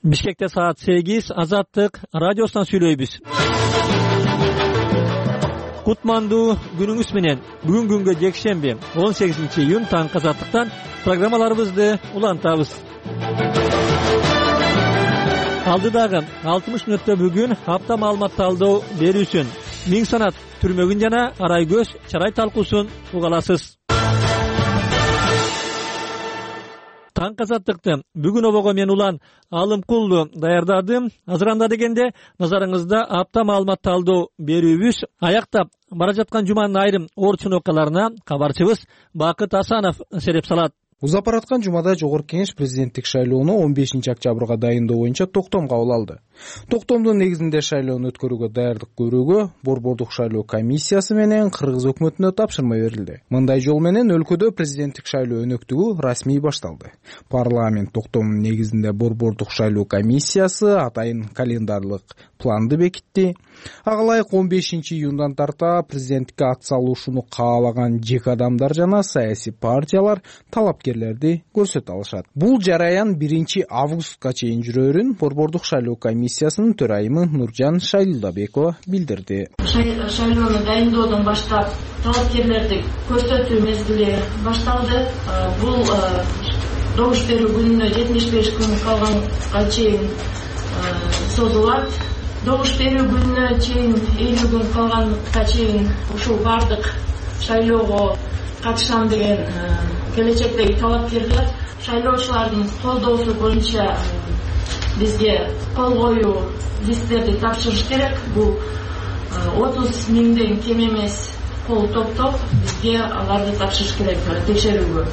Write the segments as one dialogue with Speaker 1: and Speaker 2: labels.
Speaker 1: Бишкекте саат 8 Азаттык радиосунан сүйлөйбүз. Кутмандуу күнүңүз менен. Бүгүн күнгө жекшемби 18-июнь таң Азаттыктан программаларыбызды улантабыз. Алдыдагы 60 мүнөттө бүгүн апта маалымат талдоо берүүсүн, Миң санат түрмөгүн жана арай көз чарай талкуусун уга аласыз. Таң Азаттыкты бүгүн обого мен улан Алымкулду даярдадым. Азыр анда дегенде назарыңызда апта маалымат талдоо берүүбүз аяктап бара жаткан жуманын айрым орчун окуяларына кабарчыбыз Бакыт Асанов сереп салат.
Speaker 2: Узап бараткан жумада Жогорку Кеңеш президенттик шайлоону 15-октябрга дайындоо боюнча токтом кабыл алды. Токтомдун негизинде шайлоону өткөрүүгө даярдык көрүүгө Борбордук шайлоо комиссиясы менен Кыргыз өкмөтүнө тапшырма берилди. Мындай жол менен өлкөдө президенттик шайлоо өнөктүгү расмий башталды. Парламент токтомунун негизинде Борбордук шайлоо комиссиясы атайын календарлык планды бекитти. Ага ылайык 15-июндан тарта президенттикке ат салуушуну каалаган жеке адамдар жана саясий партиялар талапкерлерди көрсөтө алышат. Бул жараян 1-августка чейин жүрөрүн Борбордук шайлоо комиссиясынын төрайымы Нуржан Шайлдабекова билдирди.
Speaker 3: Шайлоону дайындоодон баштап талапкерлерди көрсөтүү мезгили башталды. Бул добуш берүү күнүнө 75 күн калганга чейин созулат. Добуш берүү күнүнө чейин 50 күн калганга чейин ушул бардык шайлоого катышам деген келечектеги талапкерлер шайлоочулардын колдоосу боюнча бизге кол коюу листтерди тапшырыш керек. Бул 30 миңден кем эмес кол топтоп бизге аларды тапшырыш керек текшерүүгө.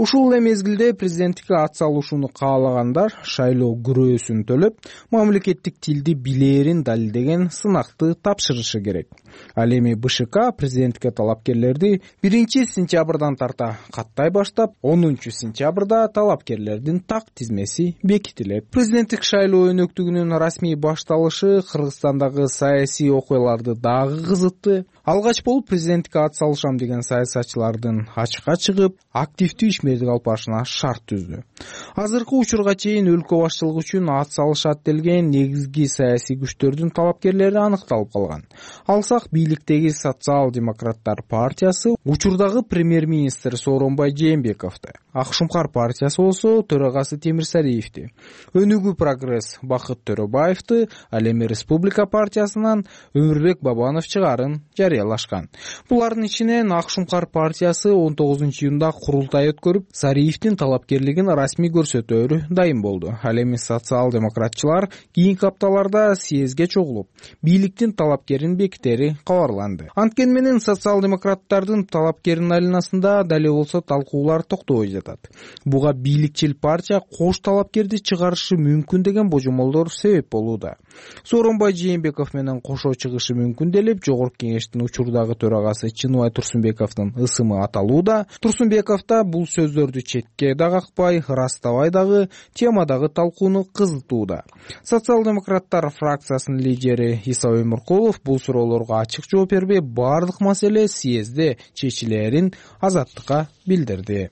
Speaker 2: Ушул эле мезгилде президенттикке ат салуушуну каалагандар шайлоо күрөөсүн төлөп, мамлекеттик тилди билээрин далилдеген сынакты тапшырышы керек. Ал эми БШК президенттикке талапкерлерди 1-сентябрдан тарта каттай баштап, 10-сентябрда талапкерлердин так тизмеси бекитилет. Президенттик шайлоо өнөктүгүнүн расмий башталышы Кыргызстандагы саясий окуяларды дагы кызытты. Алгач болуп президенттикке ат салышам деген саясатчылардын ачыкка чыгып, активдүү ишмердик алып барышына шарт түздү. Азыркы учурга чейин өлкө башчылыгы үчүн ат салышат делген негизги саясий күчтөрдүн талапкерлери аныкталып калган. Алсак бийликтеги Социал-демократтар партиясы учурдагы премьер-министр Сооронбай Жээнбековду, Ак Шумкар партиясы болсо төрагасы Темирсариевди, Өнүгүү прогресс Бакыт Төрөбаевди, ал эми Республика партиясынан Өмүрбек Бабанов чыгарын жарыялашкан. Булардын ичинен Ак Шумкар партиясы 19-июнда курултай өткөрүп, Сариевдин талапкерлигин расмий көрсөтөөрү дайым болду. Ал эми социал-демократчылар кийинки апталарда съездге чогулуп, бийликтин талапкерин бекитери кабарланды. Анткени менен социал-демократтардын талапкерин айланасында дале болсо талкуулар токтобой жатат. Буга бийликчил партия кош талапкерди чыгарышы мүмкүн деген божомолдор себеп болууда. Сооронбай Жээнбеков менен кошо чыгышы мүмкүн делип, Жогорку Кеңештин учурдагы төрагасы Чыныбай Турсунбековдун ысымы аталууда. Турсунбеков да бул сөздөрдү четке да какпай, ырастабай дагы темадагы талкууну кызытууда. Социал-демократтар фракциясынын лидери Иса Өмүркулов бул суроолорго ачык жооп бербей, бардык маселе съездде чечилерин Азаттыкка билдирди.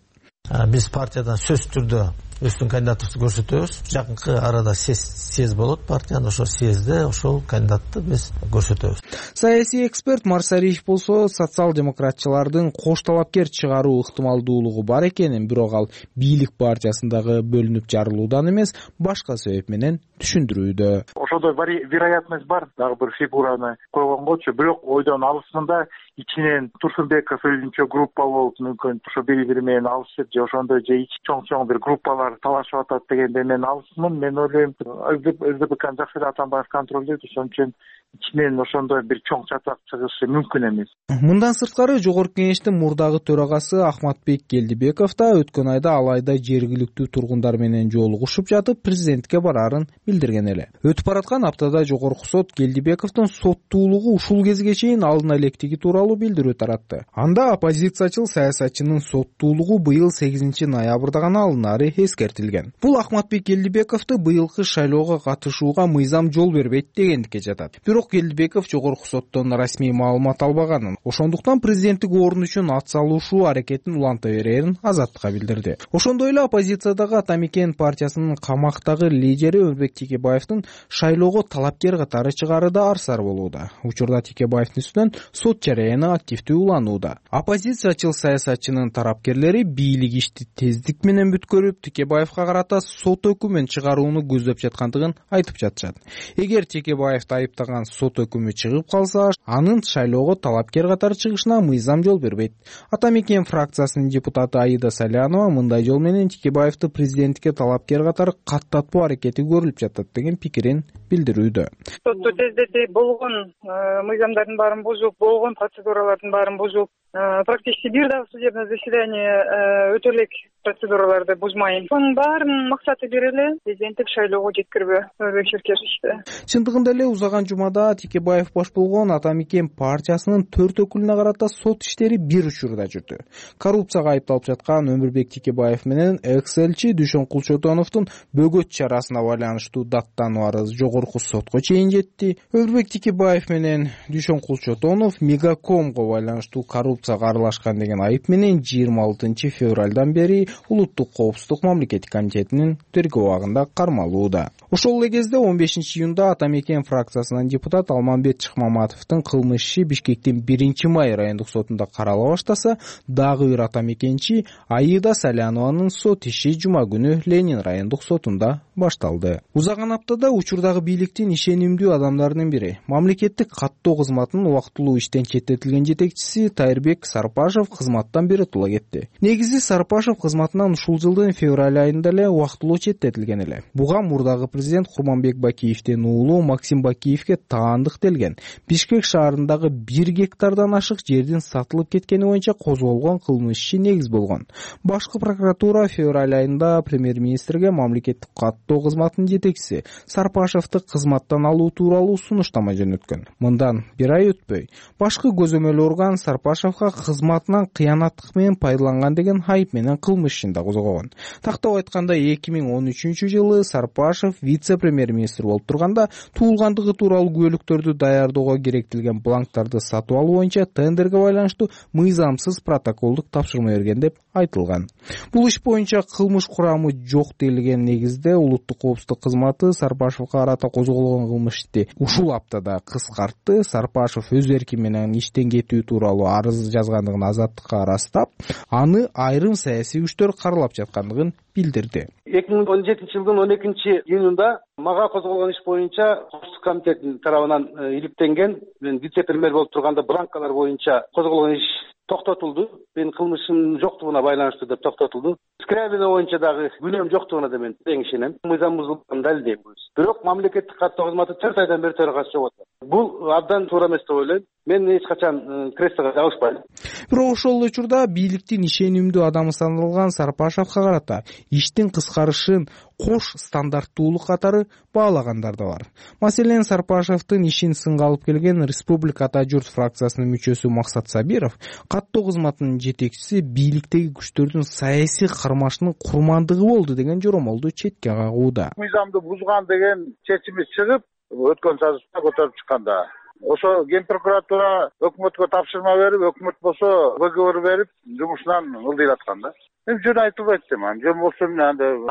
Speaker 4: Биз партиядан сөзсүз түрдө өздүн кандидатыбызды көрсөтөбүз. Жакынкы арада съезд болот партиянын, ошол съездде ошол кандидатты биз көрсөтөбүз.
Speaker 2: Саясий эксперт Марсариев болсо социал-демократчылардын кош талапкер чыгаруу ыктымалдуулугу бар экенин, бирок ал бийлик партиясындагы бөлүнүп жарылуудан эмес, башка себеп менен түшүндүрүүдө.
Speaker 5: Ошодо вероятность бар, дагы бир фигураны койгонгочу, бирок ойдон алысында ичинен Турсунбеков өзүнчө группа болуп, мүмкүн ошо бири-бири менен алышып, же ошондой же чоң бир группалар талашып атат дегенде мен алысмын. Мен ойлойм, СДПКны жакшы эле Атамбаев контролдойт, ошон үчүн ичинен ошондой бир чоң чатак чыгышы мүмкүн эмес.
Speaker 2: Мындан сырткары Жогорку Кеңештин мурдагы төрагасы Ахматбек Келдибеков да өткөн айда алайда жергиликтүү тургундар менен жолугушуп жатып, президентке барарын билдирген эле. Өтүп бараткан аптада Жогорку сот Келдибековдун соттуулугу ушул кезге чейин алына электиги тууралуу билдирүү таратты. Анда оппозициячыл саясатчынын соттуулугу быйыл 8 ноябрда гана алынары эскертилген. Бул Акматбек Элдибековду быйылкы шайлоого катышууга мыйзам жол бербейт дегендикке жатат. Бирок Элдибеков жогорку соттон расмий маалымат албаганын, ошондуктан президенттик орун үчүн ат салышуу аракетин уланта берерин Азаттыкка билдирди. Ошондой эле оппозициядагы Ата Мекен партиясынын камактагы лидери Өмүрбек Текебаевдин шайлоого талапкер катары чыгары да арсар болууда. Учурда Текебаевдин үстүнөн сот жарыяны активдүү уланууда. Оппозициячыл саясатчынын тарапкерлери бийлик ишти тездик менен бүткөрүп, Текебаевга карата сот өкүмүн чыгарууну көздөп жаткандыгын айтып жатышат. Эгер Текебаевди айыптаган сот өкүмү чыгып калса, анын шайлоого талапкер катары чыгышына мыйзам жол бербейт. Ата Мекен фракциясынын депутаты Аида Салянова мындай жол менен Текебаевди президенттикке талапкер катары каттатуу аракети көрүлүп жатат деген пикирин билдирүүдө.
Speaker 6: Сотту тездетип болгон мыйзамдардын баарын бузуп, болгон процедуралардын баарын бузуп, практически бир дагы судебное заседание өтө элек процедураларды бузмайын. Сонун баарынын максаты бир эле, президенттик шайлоого жеткирбөө. Өмүрбек Шеркешевичти.
Speaker 2: Чындыгында эле узаган жумада Текебаев баш болгон Ата Мекен партиясынын 4 өкүлүнө карата сот иштери бир учурда жүрдү. Коррупцияга айыпталып жаткан Өмүрбек Текебаев менен экс-элчи Дүйшөн Кулчотоновдун бөгөт чарасына байланыштуу даттануу арыз жогорку сотко чейин жетти. Өмүрбек Текебаев менен Дүйшөн Кулчотонов Мегакомго байланыштуу коррупцияга аралашкан деген айып менен 26 февралдан бери Улуттук коопсуздук мамлекеттик комитетинин тергөө абагында кармалууда. Ошол эле кезде 15 июнда Ата Мекен фракциясынын депутат Алмамбет Чыкмаматовдун кылмыш иши Бишкектин 1-май райондук сотунда карала баштаса, дагы бир Ата Мекенчи Аида Салянованын сот иши жума күнү Ленин райондук сотунда башталды. Узаган аптада учурдагы бийликтин ишенимдүү адамдарынын бири, мамлекеттик каттоо кызматынын убактылуу иштен четтетилген жетекчиси Тайырбек Сарпашев кызматтан биротула кетти. Негизи Сарпашев кызматынан ушул жылдын февраль айында эле убактылуу четтетилген эле. Буга мурдагы президент Курманбек Бакиевдин уулу Максим Бакиевге таандык делген Бишкек шаарындагы 1 гектардан ашык жердин сатылып кеткени боюнча козголгон кылмыш иши негиз болгон. Башкы прокуратура февраль айында премьер-министрге мамлекеттик каттоо кызматынын жетекчиси Сарпашевди кызматтан алуу тууралуу сунуштама жөнөткөн. Мындан 1 ай өтпөй, башкы көзөмөл орган Сарпашевга кызматынан кыянаттык менен пайдаланган деген айып менен кылмыш ишин да козгогон. Тактап айтканда 2013-жылы Сарпашев вице-премьер-министр болуп турганда туулгандыгы тууралуу күбөлүктөрдү даярдоого керектелген бланктарды сатып алуу боюнча тендерге байланыштуу мыйзамсыз протоколдук тапшырма берген деп айтылган. Бул иш боюнча кылмыш курамы жок делген негизде Улуттук коопсуздук кызматы Сарпашевга карата козголгон кылмышты ушул аптада кыскартты. Сарпашев өз эрки менен иштен кетүү тууралуу арыз жазгандыгын Азаттыкка ырастап, аны айрым саясий күчтөр каралап жаткандыгын билдирди.
Speaker 7: 2017-жылдын 12-июнунда мага козголгон иш боюнча коопсуздук комитетинин тарабынан иликтенген, мен вице-премьер болуп турганда бланкалар боюнча козголгон иш токтотулду. Менин кылмышым жоктугуна байланыштуу деп токтотулду. Скрябина боюнча дагы күнөөм жоктугуна да мен тең ишенем. Мыйзам бузулганын далилдейм. Бирок мамлекеттик каттоо кызматы 4 айдан бери төрагасы жок атат. Бул абдан туура эмес деп ойлойм. Мен эч качан креслого жабышпайм.
Speaker 2: Бирок ошол учурда бийликтин ишенимдүү адамы саналган Сарпашевга карата иштин кыскарышын кош стандарттуулук катары баалагандар да бар. Маселен, Сарпашевдин ишин сынга алып келген Республика Ата журт фракциясынын мүчөсү Максат Сабиров каттоо кызматынын жетекчиси бийликтеги күчтөрдүн саясий кармашынын курмандыгы болду деген жоромолду четке кагууда.
Speaker 5: Мыйзамды бузган деген чечими чыгып, өткөн сазышта көтөрүп чыкканда ошо Ген прокуратура өкмөткө тапшырма берип, өкмөт болсо выговор берип, жумушунан ылдыйраткан да. Мен жөн айтылбайт дейм. Жөн болсо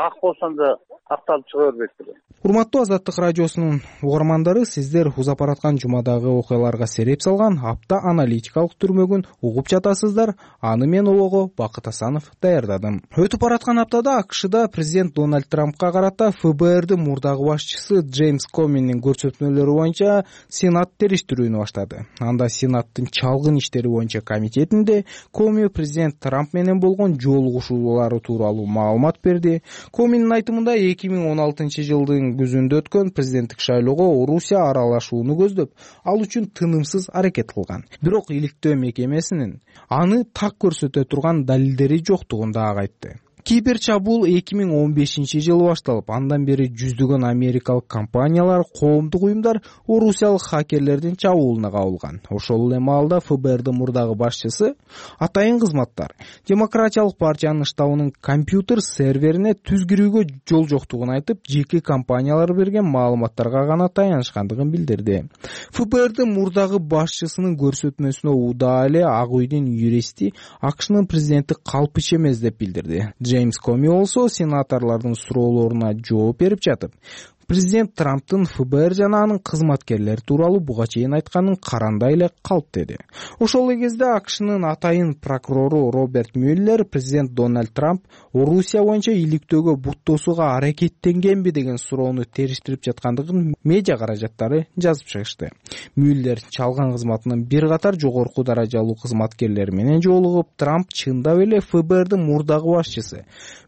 Speaker 5: ак болсо да акталып чыга бербейт деп.
Speaker 2: Урматтуу Азаттык радиосунун угармандары, сиздер узап бараткан жумадагы окуяларга сереп салган апта аналитикалык түрмөгүн угуп жатасыздар. Аны мен Ого Бакыт Асанов даярдадым. Өтүп бараткан аптада АКШда президент Дональд Трампка карата ФБРдин мурдагы башчысы Джеймс Коминин көрсөтмөлөрү боюнча Сенат териштирүүнү баштады. Анда Сенаттын чалгын иштери боюнча комитетинде Коми президент Трамп менен болгон жолугушуулары тууралуу маалымат берди. Коминин айтымында 2016-жылдын күзүндө өткөн президенттик шайлоого Орусия аралашууну көздөп, ал үчүн тынымсыз аракет кылган. Бирок иликтөө мекемесинин аны так көрсөтө турган далилдери жоктугун дагы айтты. Кибер чабуул 2015-жылы башталып, андан бери жүздөгөн америкалык компаниялар, коомдук уюмдар орусиялык хакерлердин чабуулуна кабылган. Ошол эле маалда ФБРдин мурдагы башчысы атайын кызматтар Демократиялык партиянын штабынын компьютер серверине түз кирүүгө жол жоктугун айтып, жеке компаниялар берген маалыматтарга гана таянышкандыгын билдирди. ФБРдин мурдагы башчысынын көрсөтмөсүнө удаа эле Ак үйдүн юристи АКШнын президенти калпыча эмес деп билдирди. Джеймс Коми болсо сенаторлордун суроолоруна жооп берип жатып, президент Трамптын ФБР жана анын кызматкерлери тууралуу буга чейин айтканын карандай эле калп деди. Ошол эле кезде АКШнын атайын прокурору Роберт Мюллер президент Дональд Трамп Орусия боюнча иликтөөгө буттоосуга аракеттенгенби деген суроону териштирип жаткандыгын медиа каражаттары жазып чыгышты. Мюллер чалган кызматынын бир катар жогорку даражалуу кызматкерлери менен жолугуп, Трамп чындап эле ФБРдин мурдагы башчысы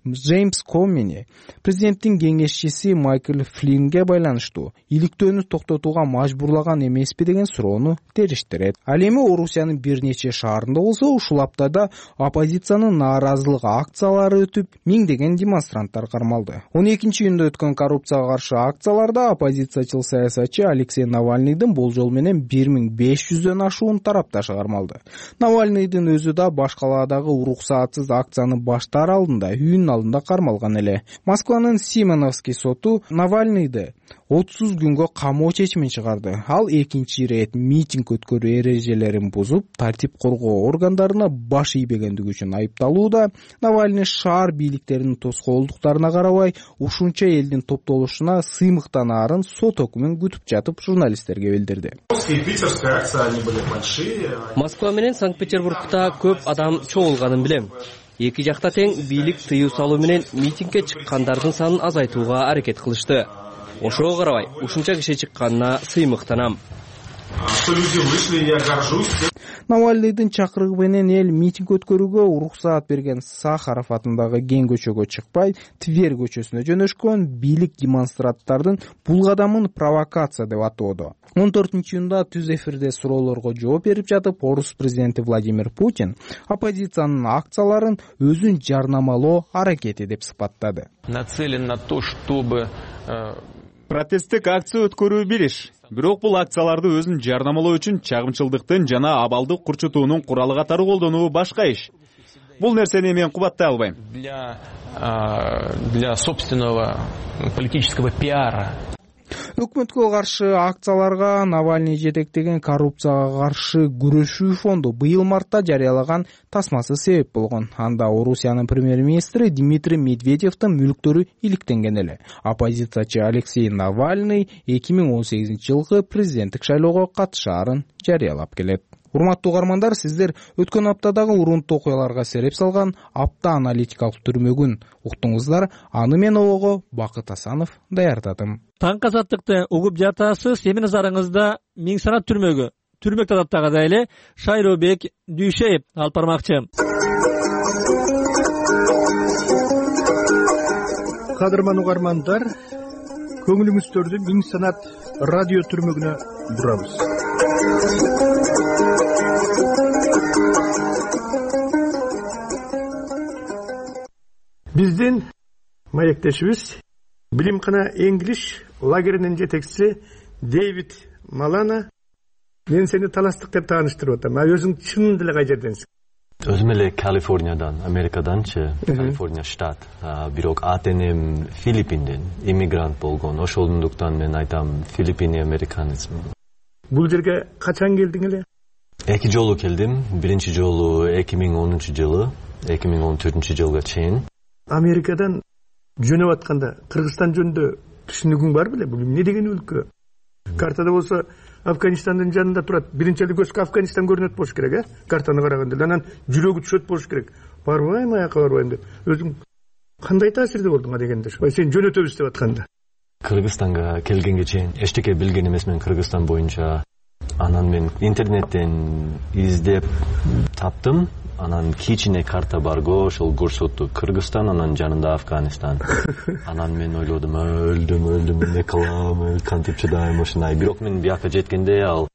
Speaker 2: Джеймс Комини президенттин кеңешчиси Майкл Флиннге байланыштуу иликтөөнү токтотууга мажбурлаган эмеспи деген суроону териштирет. Ал эми Орусиянын бир нече шаарында болсо, ушул аптада оппозициянын нааразылык акциялары өтүп, миңдеген демонстранттар кармалды. 12-июнда өткөн коррупцияга каршы акцияларда оппозициячыл саясатчы Алексей Навальныйдын болжол менен 1500дөн ашуун тарапташы кармалды. Навальныйдын өзү да башкалаадагы уруксаатсыз акцияны баштаар алдында үйүнүн алдында кармалган эле. Москванын Симоновский соту Навальныйды 30 күнгө камоо чечимин чыгарды. Ал экинчи ирет митинг өткөрүү эрежелерин бузуп, тартип коргоо органдарына баш ийбегендиги үчүн айыпталууда. Навальный шаар бийликтеринин тоскоолдуктарына карабай, ушунча элдин топтолушуна сыймыктанаарын сот өкүмүн күтүп жатып журналисттерге билдирди.
Speaker 8: Москва менен Санкт-Петербургда көп адам чогулганын билем. Эки жакта тең бийлик тыюу салуу менен митингге чыккандардын санын азайтууга аракет кылышты. Ошого карабай, ушунча киши чыкканына сыймыктанам.
Speaker 2: Навальныйдын чакырыгы менен эл митинг өткөрүүгө уруксаат берген Сахаров атындагы кең көчөгө чыкпай, Тверь көчөсүнө жөнөшкөн бийлик демонстранттардын бул кадамын провокация деп атоодо. 14-июнда түз эфирде суроолорго жооп берип жатып, Орус президенти Владимир Путин оппозициянын акцияларын өзүн жарнамалоо аракети деп сыпаттады.
Speaker 9: Нацелен на то, чтобы
Speaker 10: протесттик акция өткөрүү бириш. Бирок бул акцияларды өзүн жарнамалоо үчүн чагымчылдыктын жана абалды курчутуунун куралы катары колдонуу башка иш. Бул нерсени мен кубаттай албайм.
Speaker 9: Для собственного политического пиара.
Speaker 2: Өкмөткө каршы акцияларга Навальный жетектеген коррупцияга каршы күрөшүү фонду быйыл мартта жарыялаган тасмасы себеп болгон. Анда Орусиянын премьер-министри Дмитрий Медведевдин мүлктөрү иликтенген эле. Оппозициячы Алексей Навальный 2018-жылкы президенттик шайлоого катышаарын жарыялап келет. Урматтуу угармандар, сиздер өткөн аптадагы урунттуу окуяларга сереп салган апта аналитикалык түрмөгүн уктуңуздар. Аны мен Ого Бакыт Асанов даярдадым.
Speaker 1: Таң казаттыкты угуп жатасыз. Эмне назарыңызда Миң санат түрмөгү. Түрмөк тадаптагыдай эле Шайробек Дүйшеев алып бармакчы.
Speaker 11: Кадырман угармандар, көңүлүңүздөрдү Миң санат радио түрмөгүнө бурабыз. Биздин маектешибиз Билимкана English лагеринин жетекчиси Дэвид Малана мен сени таластык деп тааныштырып атам. Өзүң чын эле кай жерденсиң?
Speaker 12: Өзүм эле Калифорниядан, Америкаданчы, Калифорния штат. Бирок атенем Филиппинден, иммигрант болгон. Ошондуктан мен айтам Филиппин американецмин.
Speaker 11: Бул жерге качан келдиң эле?
Speaker 12: Эки жолу келдим. Биринчи жолу 2010-жылы, 2014-жылга чейин.
Speaker 11: Америкадан жөнөп атканда Кыргызстан жөнүндө түшүнүгүң бар беле? Бул эмне деген өлкө? Картада болсо Афганистандын жанында турат. Биринчи эле көзгө Афганистан көрүнөт болуш керек, картаны караганда. Анан жүрөгү түшөт болуш керек. Барбайм, аяка барбайм деп. Өзүң кандай таасирде болдуң дегенде? Сен жөнөтөбүз деп атканда.
Speaker 12: Кыргызстанга келгенге чейин эчтеке билген эмесмин Кыргызстан боюнча. Анан мен интернеттен издеп таптым. Анан кичине карта барго, ошол көрсөттү Кыргызстан, анан жанында Афганистан. Анан мен ойлодум, өлдүм, эмне кылам, кантип чыдайм ушундай. Бирок мен бияка жеткенде ал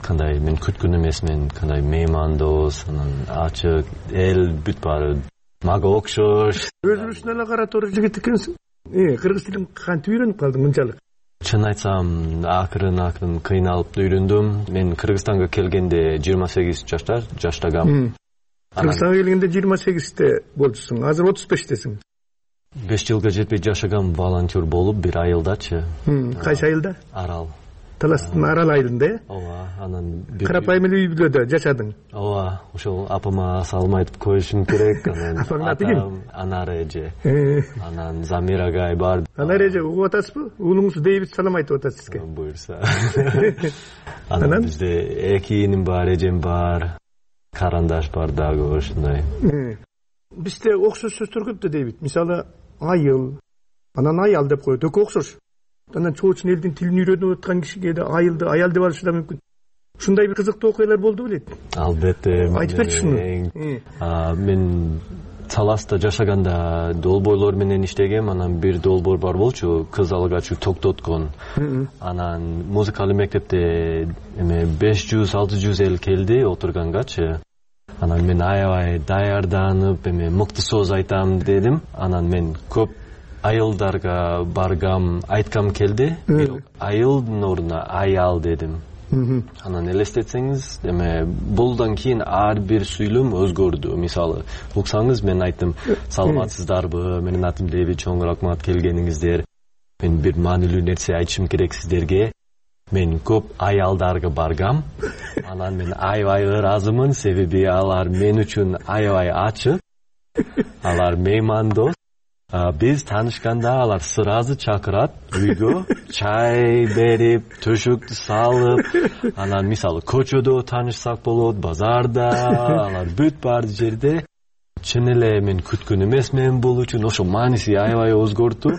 Speaker 12: кандай мен күткөн эмесмин, кандай меймандос, анан ачык эл бүт баары мага окшош.
Speaker 11: Өзүбүздүн эле кара тору жигит экенсиң. Кыргыз тилин кантип үйрөнүп калдың мынчалык?
Speaker 12: Чын айтсам, акырын кыйналып үйрөндүм. Мен Кыргызстанга келгенде 28 жаштагам.
Speaker 11: Кыргызстанга келгенде 28-те болчусуң. Азыр 35-тесиң.
Speaker 12: 5 жылга жетпей жашагам волонтер болуп, бир айылдачы.
Speaker 11: Кайсы айылда?
Speaker 12: Арал.
Speaker 11: Таластын Арал айылында,
Speaker 12: Ооба, анан
Speaker 11: карапайым эле үй бүлөдө жашадың.
Speaker 12: Ооба, ошол апама салым айтып коюшум керек. Анан
Speaker 11: апаңдын аты ким?
Speaker 12: Анар эже. Анан Замир агай бар.
Speaker 11: Анар эже угуп атасызбы? Уулуңуз Дэвид салам айтып атат сизге.
Speaker 12: Буюрса. Анан бизде 2 иним бар, эжем бар. Карандаш бар дагы ошондой.
Speaker 11: Бизде окшош сөздөр көп да, Дэвид. Мисалы, айыл, анан аял деп коет, экөө окшош. Анан чоочун элдин тилин үйрөнүп аткан кишиге да айылды аял деп алышы да мүмкүн. Ушундай бир кызыктуу окуялар болду белет?
Speaker 12: Албетте.
Speaker 11: Айтып берчи шуну.
Speaker 12: Мен Таласта жашаганда долбоорлор менен иштегем. Анан бир долбоор бар болчу, кыз алгачы токтоткон. Анан музыкалык мектепте 500-600 эл келди отургангачы. Анан мен аябай даярданып, мыкты сөз айтам дедим. Анан мен көп айылдарга баргам, айткам келди. Бирок айылдын ордуна аял дедим. Анан элестетсеңиз, булдан кийин ар бир сүйлөм өзгөрдү. Мисалы, уксаңыз мен айттым, саламатсыздарбы, менин атым Дэвид, чоң рахмат келгениңиздер. Мен бир маанилүү нерсе айтышым керек сиздерге. Мен көп аялдарга баргам. Анан мен аябай ыраазымын, себеби алар мен үчүн аябай ачык. Алар меймандос. Биз таанышканда алар сразу чакырат үйгө, чай берип, төшөктү салып, анан мисалы көчөдө таанышсак болот, базарда, алар бүт бар жерде. Чын эле мен күткөн эмесмин бул үчүн, ошо мааниси аябай өзгөрдү.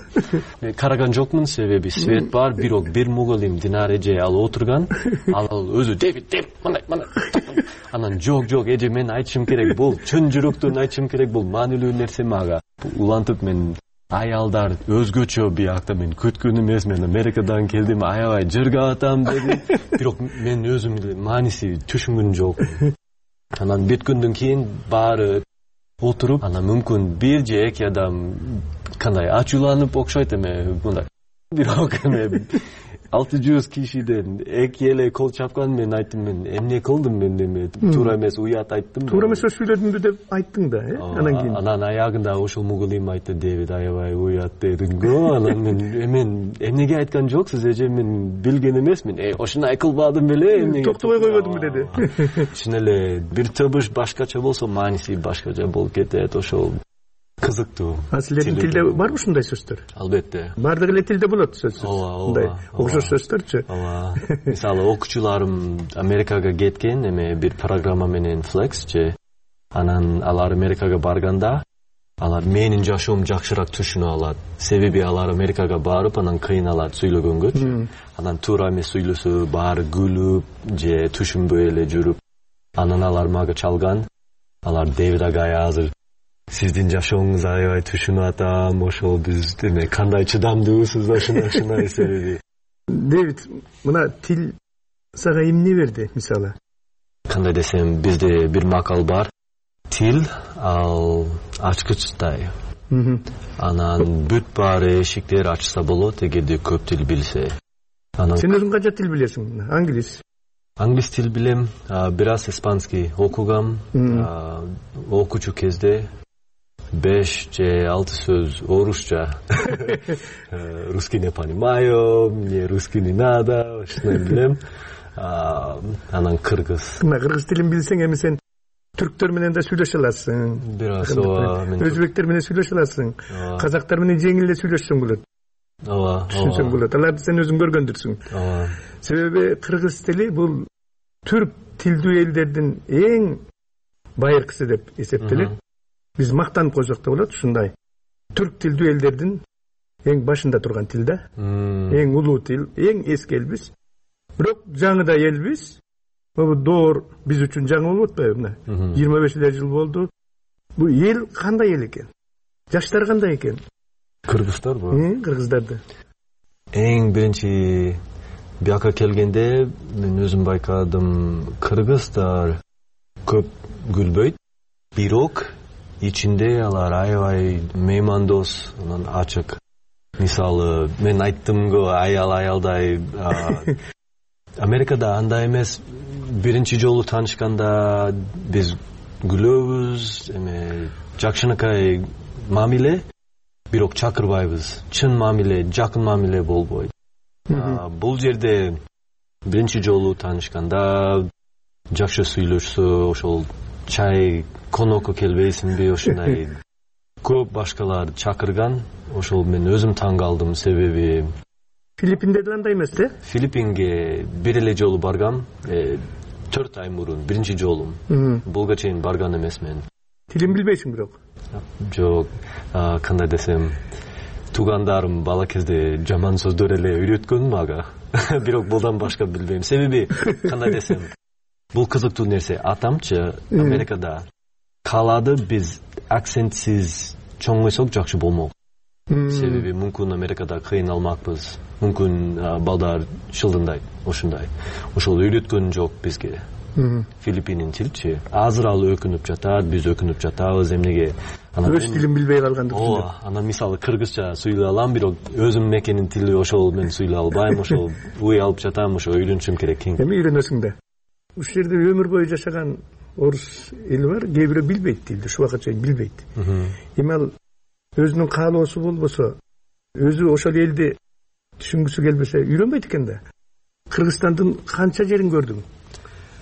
Speaker 12: Караган жокмун, себеби свет бар, бирок бир мугалим Динар эже ал отурган, ал өзү Дэвид, мындай. Анан жок, эже мен айтышым керек, бул чын жүрөктөн айтышым керек, бул маанилүү нерсе мага. Улантып мен аялдар өзгөчө биякта, мен күткөн эмес, мен Америкадан келдим, аябай жыргап атам дедим. Бирок мен өзүм мааниси түшүнгөн жок. Анан бүткөндөн кийин баары отуруп, анан мүмкүн бир же эки адам кандай ачууланып окшойт мындай. Бирок 600 кишиден эки эле кол чапкан, мен айттым, мен эмне кылдым, мен туура эмес уят айттым.
Speaker 11: Туура эмес сүйлөдүмбү деп айттың да, анан кийин.
Speaker 12: Анан аягында ошол мугалим айтты, Дэвид аябай уят дедиң го. Анан мен эмнеге айткан жоксуз, эже мен билген эмесмин. Ошону кылбадым беле, эмнеге.
Speaker 11: Токтобой койбодуңбу деди.
Speaker 12: Чын эле бир табыш башкача болсо, мааниси башкача болуп кетет, ошол кызыктуу.
Speaker 11: Силердин тилде барбы ушундай сөздөр?
Speaker 12: Албетте.
Speaker 11: Бардык эле тилде болот сөзсүз.
Speaker 12: Ооба.
Speaker 11: Окшош сөздөрчү.
Speaker 12: Ооба. Мисалы, окуучуларым Америкага кеткен, бир программа менен Flex же. Анан алар Америкага барганда, алар менин жашоом жакшыраак түшүнө алат. Себеби алар Америкага барып, анан кыйналат сүйлөгөнгөчү. Анан туура эмес сүйлөсө, баары күлүп же түшүнбөй эле жүрүп. Анан алар мага чалган. Алар Дэвид агай азыр сиздин жашооңуз аябай түшүнүп атам, ошол биз кандай чыдамдуусуз, ошондой себеби.
Speaker 11: Дэвид, мына тил сага эмне берди, мисалы?
Speaker 12: Кандай десем, бизде бир макал бар. Тил ал ачкычтай. Анан бүт баары эшиктер ачса болот, эгерде көп тил билсе.
Speaker 11: Сен өзүң канча тил билесиң?
Speaker 12: Англис тил билем, бир аз испанский окугам, окуучу кезде 5 же 6 сөз орусча. Русский не понимаю, мне русский не надо, ошондой билем. Анан кыргыз.
Speaker 11: Кыргыз тилин билсең, эми сен түрктөр менен да сүйлөшө аласың.
Speaker 12: Бир аз ооба.
Speaker 11: Өзбектер менен сүйлөшө аласың. Казактар менен жеңил эле сүйлөшсөң болот.
Speaker 12: Ооба.
Speaker 11: Түшүнсөң болот. Аларды сен өзүң көргөндүрсүң.
Speaker 12: Ооба.
Speaker 11: Себеби кыргыз тили бул түрк тилдүү элдердин эң байыркысы деп эсептелет. Биз мактанып койсок да болот, ушундай. Түрк тилдүү элдердин эң башында турган тил да. Эң улуу тил, эң эски элбиз. Бирок жаңы да элбиз. Бул доор биз үчүн жаңы болуп атпайбы? 25 жыл болду. Бул эл кандай эл экен? Жаштар кандай экен?
Speaker 12: Кыргыздарбы?
Speaker 11: Кыргыздарды.
Speaker 12: Эң биринчи бияка келгенде мен өзүм байкадым, кыргыздар көп күлбөйт, бирок ичинде алар аябай меймандос, анан ачык. Мисалы, мен айттым го аялдай. Америкада андай эмес. Биринчи жолу таанышканда биз күлөбүз, жакшынакай мамиле, бирок чакырбайбыз. Чын мамиле, жакын мамиле болбойт. Бул жерде биринчи жолу таанышканда жакшы сүйлөшсө, ошол чай конокко келбейсиңби, ошондой көп башкалар чакырган. Ошол мен өзүм таң калдым, себеби
Speaker 11: Филиппинде да андай эмес да?
Speaker 12: Филиппинге бир эле жолу баргам, 4 ай мурун, биринчи жолум. Булга чейин барган эмесмин.
Speaker 11: Тилин билбейсиң бирок?
Speaker 12: Жок, кандай десем, туугандарым бала кезде жаман сөздөр эле үйрөткөн мага. Бирок булдан башка билбейм. Себеби кандай десем, бул кызыктуу нерсе. Атамчы Америкада каалады биз акцентсиз чоңойсок жакшы болмок. Себеби мүмкүн Америкада кыйналмакпыз. Мүмкүн балдар шылдындайт, ошондой. Ошол үйрөткөн жок бизге. Филиппинин тилчи. Азыр ал өкүнүп жатат, биз өкүнүп жатабыз, эмнеге?
Speaker 11: Өз тилин билбей калгандыктан.
Speaker 12: Анан мисалы кыргызча сүйлөй алам, бирок өзүм мекенин тили ошол мен сүйлөй албайм, ошол уй алып жатам, ошо үйрөнүшүм керек.
Speaker 11: Эми үйрөнөсүң да. Ушул жерде өмүр бою жашаган орус эли бар, кээ бирөө билбейт тилди, ушул убакка чейин билбейт. Эми ал өзүнүн каалоосу болбосо, өзү ошол элди түшүнгүсү келбесе үйрөнбөйт экен да. Кыргызстандын канча жерин көрдүң?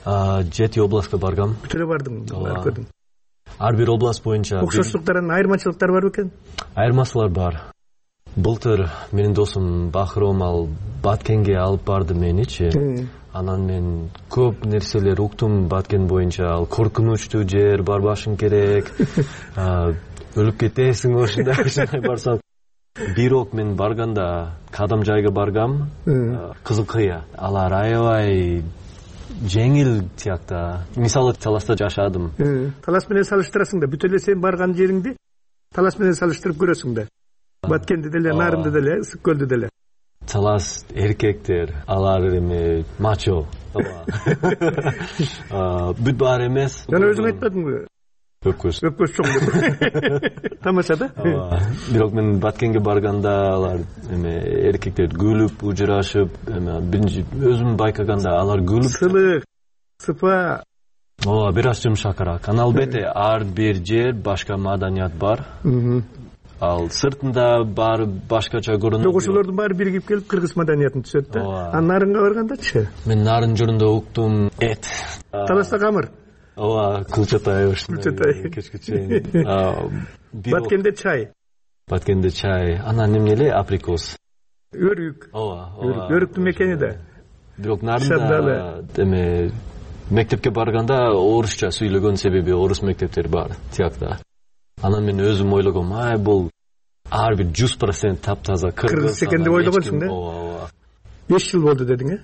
Speaker 12: 7 областка баргам.
Speaker 11: Бүт эле бардым, көрдүм.
Speaker 12: Ар бир област боюнча
Speaker 11: окшоштуктардан айырмачылыктар бар бекен?
Speaker 12: Айырмачылыктар бар. Былтыр менин досум Бахром ал Баткенге алып барды меничи. Анан мен көп нерселер уктум Баткен боюнча. Ал коркунучтуу жер, барбашың керек. Өлүп кетесиң ошондой барсаң. Бирок мен барганда кадам жайга баргам. Кызыл кыя. Алар аябай жеңил тиякта. Мисалы Таласта жашадым.
Speaker 11: Талас менен салыштырасың да, бүт эле сен барган жериңди Талас менен салыштырып көрөсүң да. Баткенди деле, Нарынды деле, Ысык көлдү деле.
Speaker 12: Талас эркектер, алар эми мачо. Бүт баары эмес.
Speaker 11: Жана өзүң айтпадыңбы?
Speaker 12: Өпкөз
Speaker 11: чоң деп. Тамаша да.
Speaker 12: Бирок мен Баткенге барганда алар эми эркектер күлүп, ужурашып, эми биринчи өзүм байкаганда алар күлүп,
Speaker 11: сылык, сыпа.
Speaker 12: Бир аз жумшакыраак. Албетте ар бир жер башка маданият бар. Ал сыртында баары башкача көрүнөт.
Speaker 11: Ошолордун баары биригип келип кыргыз маданиятын түзөт да. Анан Нарынга баргандачы?
Speaker 12: Мен Нарын журунда уктум эт.
Speaker 11: Таласта камыр.
Speaker 12: Кулчатай ошондой кечке чейин.
Speaker 11: Баткенде чай.
Speaker 12: Баткенде чай. Анан эмне эле априкос.
Speaker 11: Өрүк. Өрүктүн мекени да.
Speaker 12: Бирок Нарында эме мектепке барганда орусча сүйлөгөн, себеби орус мектептери бар тиякта. Анан мен өзүм ойлогом, бул ар бир 100% таптаза
Speaker 11: кыргыз экен деп ойлогонсуң да. 5 жыл болду дедиң, э?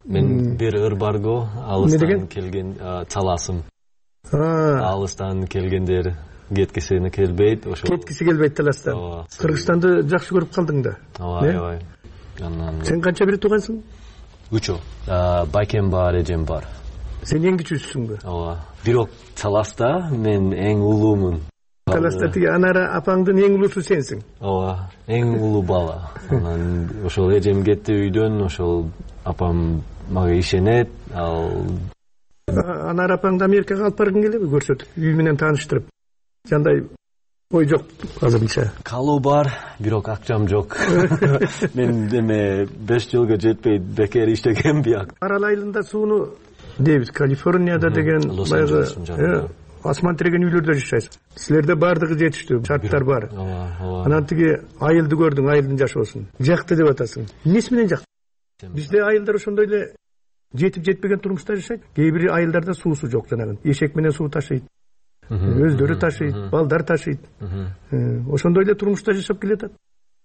Speaker 12: Мен бир ыр барго, алыстан келген таласым. Алыстан келгендер кеткисине келбейт, ошо.
Speaker 11: Кеткиси келбейт Таластан. Кыргызстанды жакшы көрүп калдың да.
Speaker 12: Аябай.
Speaker 11: Сен канча бир туугансың?
Speaker 12: 3. Байкем бар, эжем бар.
Speaker 11: Сен эң кичүүсүңбү?
Speaker 12: Бирок Таласта мен эң улуумун.
Speaker 11: Таласта тиги Анара апаңдын эң улуусу сенсиң?
Speaker 12: Эң улуу бала. Анан ошол эжем кетти үйдөн, ошол апам мага ишенет.
Speaker 11: Анара апаңды Америкага алып баргың келеби, көрсөтүп, үй менен тааныштырып? Жандай ой жок азырынча.
Speaker 12: Калуу бар, бирок акчам жок. Мен 5 жылга жетпейт, бекер иштегем бияк.
Speaker 11: Арал айылында сууну дейбиз, Калифорнияда деген баягы асман тиреген үйлөрдө жашайсың. Силерде бардыгы жетиштүү, шарттар бар. Анан тиги айылды көрдүң, айылдын жашоосун. Жакты деп атасың. Эмнеси менен жакты? Бизде айылдар ошондой эле жетип жетпеген турмушта жашайт. Кээ бир айылдарда суусу жок, жанагы эшек менен суу ташыйт. Өздөрү ташыйт, балдар ташыйт. Ошондой эле турмушта жашап келатат.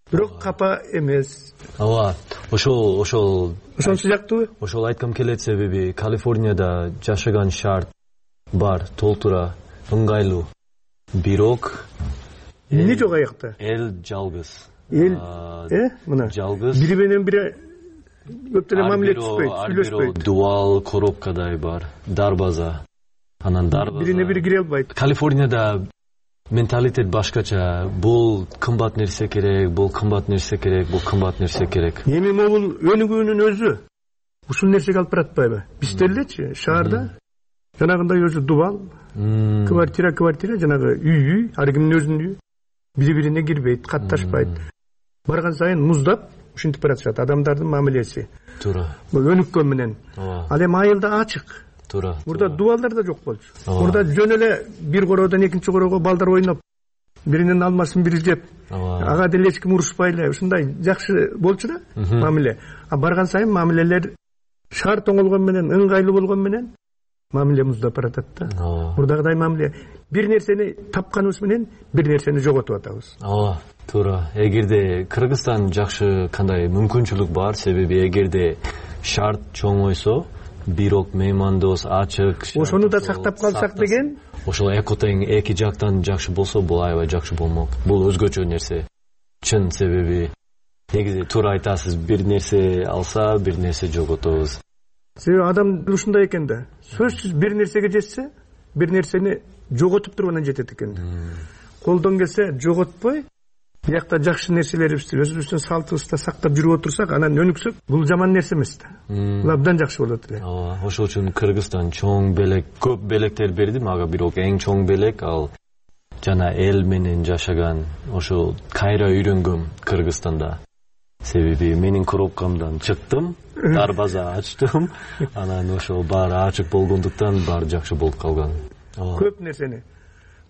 Speaker 11: Бирок капа эмес. Ошонсу жактыбы?
Speaker 12: Ошол айткым келет, себеби Калифорнияда жашаган шарт бар, толтура, ыңгайлуу. Бирок
Speaker 11: эмне жок аякта?
Speaker 12: Эл жалгыз.
Speaker 11: Мына
Speaker 12: жалгыз.
Speaker 11: Бири менен бири көп деле мамиле түшпөйт, сүйлөшпөйт.
Speaker 12: Дуал коробкадай бар, дарбаза. Анан дарбаза.
Speaker 11: Бирине бири кире албайт.
Speaker 12: Калифорнияда менталитет башкача. Бул кымбат нерсе керек, бул кымбат нерсе керек, бул кымбат нерсе керек.
Speaker 11: Эми могул өнүгүүнүн өзү ушул нерсеге алып баратпайбы? Бизде элечи шаарда жанагындай өзү дубал, квартира, жанагы үй, ар кимдин өзүнүн үйү. Бири-бирине кирбейт, катташпайт. Барган сайын муздап ушинтип баратышат адамдардын мамилеси.
Speaker 12: Туура.
Speaker 11: Бул өнүккөн менен. Ал эми айылда ачык.
Speaker 12: Туура.
Speaker 11: Мурда дубалдар да жок болчу. Мурда жөн эле бир короодон экинчи короого балдар ойноп, биринин алмасын бири жеп, ага деле эч ким урушпай эле ушундай жакшы болчу да мамиле. А барган сайын мамилелер шаар тоңолгон менен, ыңгайлуу болгон менен мамиле муздап баратат да. Мурдагыдай мамиле бир нерсени тапканыбыз менен бир нерсени жоготуп атабыз.
Speaker 12: Туура. Эгерде Кыргызстан жакшы кандай мүмкүнчүлүк бар, себеби эгерде шарт чоңойсо, бирок меймандос, ачык,
Speaker 11: ошону да сактап калсак деген,
Speaker 12: ошол экотең эки жактан жакшы болсо, бул аябай жакшы болмок. Бул өзгөчө нерсе. Чын, себеби негизи туура айтасыз, бир нерсе алса, бир нерсе жоготобуз.
Speaker 11: Себеби адам ушундай экен да. Сөзсүз бир нерсеге жетсе, бир нерсени жоготуп туруп анан жетет экен да. Колдон келсе жоготпой, биякта жакшы нерселерибизди өзүбүздүн салтыбызды сактап жүрүп отурсак, анан өнүксөк, бул жаман нерсе эмес да. Бул абдан жакшы болот эле.
Speaker 12: Ошол үчүн Кыргызстан чоң белек, көп белектер берди мага, бирок эң чоң белек ал жана эл менен жашаган, ошол кайра үйрөнгөм Кыргызстанда. Себеби менин коробкамдан чыктым, дарбаза ачтым, анан ошол баары ачык болгондуктан баары жакшы болуп калган.
Speaker 11: Көп нерсени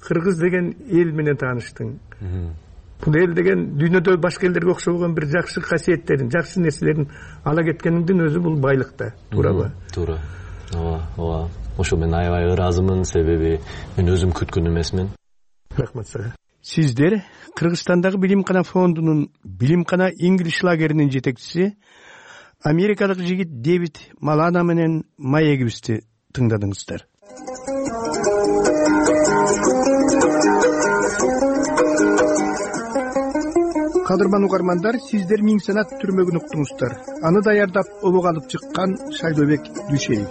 Speaker 11: кыргыз деген эл менен тааныштың. Бул эл деген дүйнөдө башка элдерге окшобогон бир жакшы касиеттерин, жакшы нерселерин ала кеткениңдин өзү бул байлык да, туурабы?
Speaker 12: Туура. Ооба. Ошо мен аябай ыраазымын, себеби мен өзүм күткөн эмесмин.
Speaker 11: Рахмат сага. Сиздер Кыргызстандагы Билимкана фондунун Билимкана English лагеринин жетекчиси америкалык жигит Дэвид Малана менен маегибизди тыңдадыңыздар. Кадырман угармандар, сиздер Миң Санат түрмөгүн уктуңуздар. Аны даярдап обого алып чыккан Шайлообек Дүйшеев.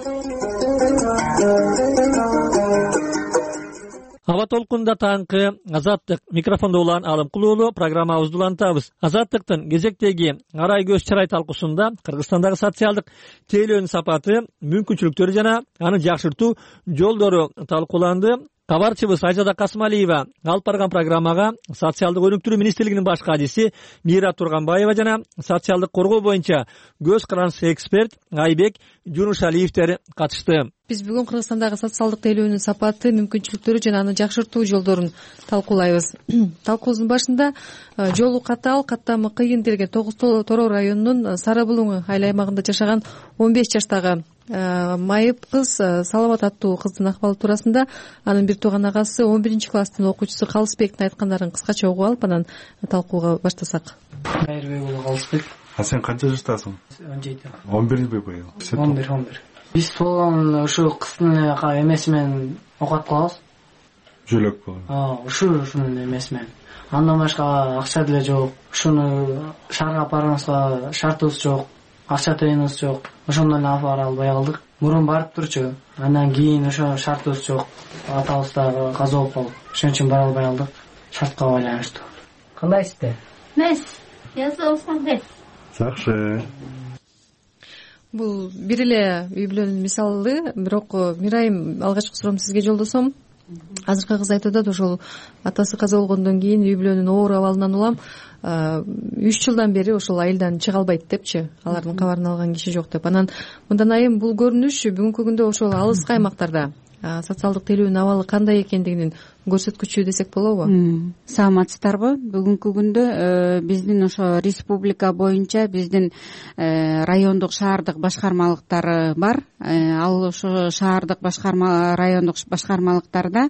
Speaker 1: Аба толкунда таңкы Азаттык микрофондо улан Алымкул уулу программабызды улантабыз. Азаттыктын кезектеги арай көз чарай талкуусунда Кыргызстандагы социалдык тейлөөнүн сапаты, мүмкүнчүлүктөрү жана аны жакшыртуу жолдору талкууланды. Кабарчыбыз Айжада Касмалиева алып барган программага социалдык өнүктүрүү министрлигинин баш кадиси Мира Турганбаева жана социалдык коргоо боюнча көз карандысы эксперт Айбек Жунушалиевтер катышты.
Speaker 13: Биз бүгүн Кыргызстандагы социалдык тейлөөнүн сапаты, мүмкүнчүлүктөрү жана аны жакшыртуу жолдорун талкуулайбыз. Талкуубуздун башында жолу катаал, каттамы кыйын делген Торо районунун Сары Булуң айыл аймагында жашаган 15 жаштагы майып кыз Саламат аттуу кыздын акыбалы туурасында анын бир тууган агасы 11-класстын окуучусу Калысбектин айткандарын кыскача угуп алып, анан талкууга баштасак.
Speaker 14: Кайрбек уулу Калысбек.
Speaker 15: Сен канча жаштасың?
Speaker 14: 17.
Speaker 15: 11 быйыл.
Speaker 14: 11. Биз болгон ушу кыздын эмеси менен окат кылабыз.
Speaker 15: Жөлөк болот.
Speaker 14: Ушунун эмеси менен. Андан башка акча деле жок. Ушуну шаарга апарганыбызга шартыбыз жок. Акча тыйыныбыз жок. Ошондон эле апара албай калдык. Мурун барып турчу. Андан кийин ошо шартыбыз жок. Атабыз да каза болуп калды. Ошон үчүн бара албай калдык. Шартка байланыштуу. Кандайсыздар?
Speaker 16: Мес. Жазылсаң бес.
Speaker 15: Жакшы.
Speaker 13: Бул бир эле үй бүлөнүн мисалы, бирок Мирайым, алгачкы суроом сизге жолдосом. Азыркы кыз айтып атат, ошол атасы каза болгондон кийин үй бүлөнүн оор абалынан улам 3 жылдан бери ошол айылдан чыга албайт депчи, алардын кабарын алган киши жок деп. Анан мындан айым бул көрүнүш бүгүнкү күндө ошол алыскы аймактарда социалдык тейлөөнүн абалы кандай экендигинин көрсөткүчү десек болобу?
Speaker 17: Саламатсыздарбы? Бүгүнкү күндө биздин ошо республика боюнча биздин райондук шаардык башкармалыктары бар. Ал ошо шаардык райондук башкармалыктарда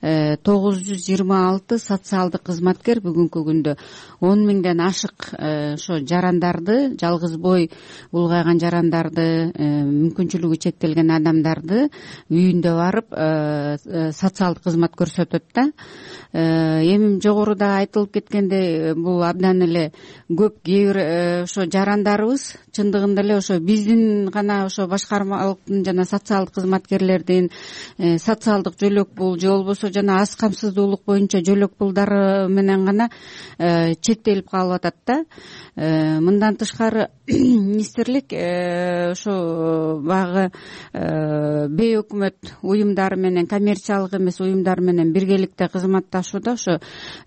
Speaker 17: 926 социалдык кызматкер бүгүнкү күндө 10 миңден ашык ошо жарандарды, жалгыз бой улгайган жарандарды, мүмкүнчүлүгү чектелген адамдарды үйүндө барып социалдык кызмат көрсөтөт да. Эми жогоруда айтылып кеткендей, бул абдан эле көп кээ бир ошо жарандарыбыз чындыгында эле ошо биздин гана ошо башкармалыктын жана социалдык кызматкерлердин социалдык жөлөк пул же болбосо жана аз камсыздуулук боюнча жөлөк пулдары менен гана чектелип калып атат да. Мындан тышкары министрлик ошо баягы бейөкмөт уюмдары менен, коммерциялык эмес уюмдар менен биргеликте кызматташууда ошо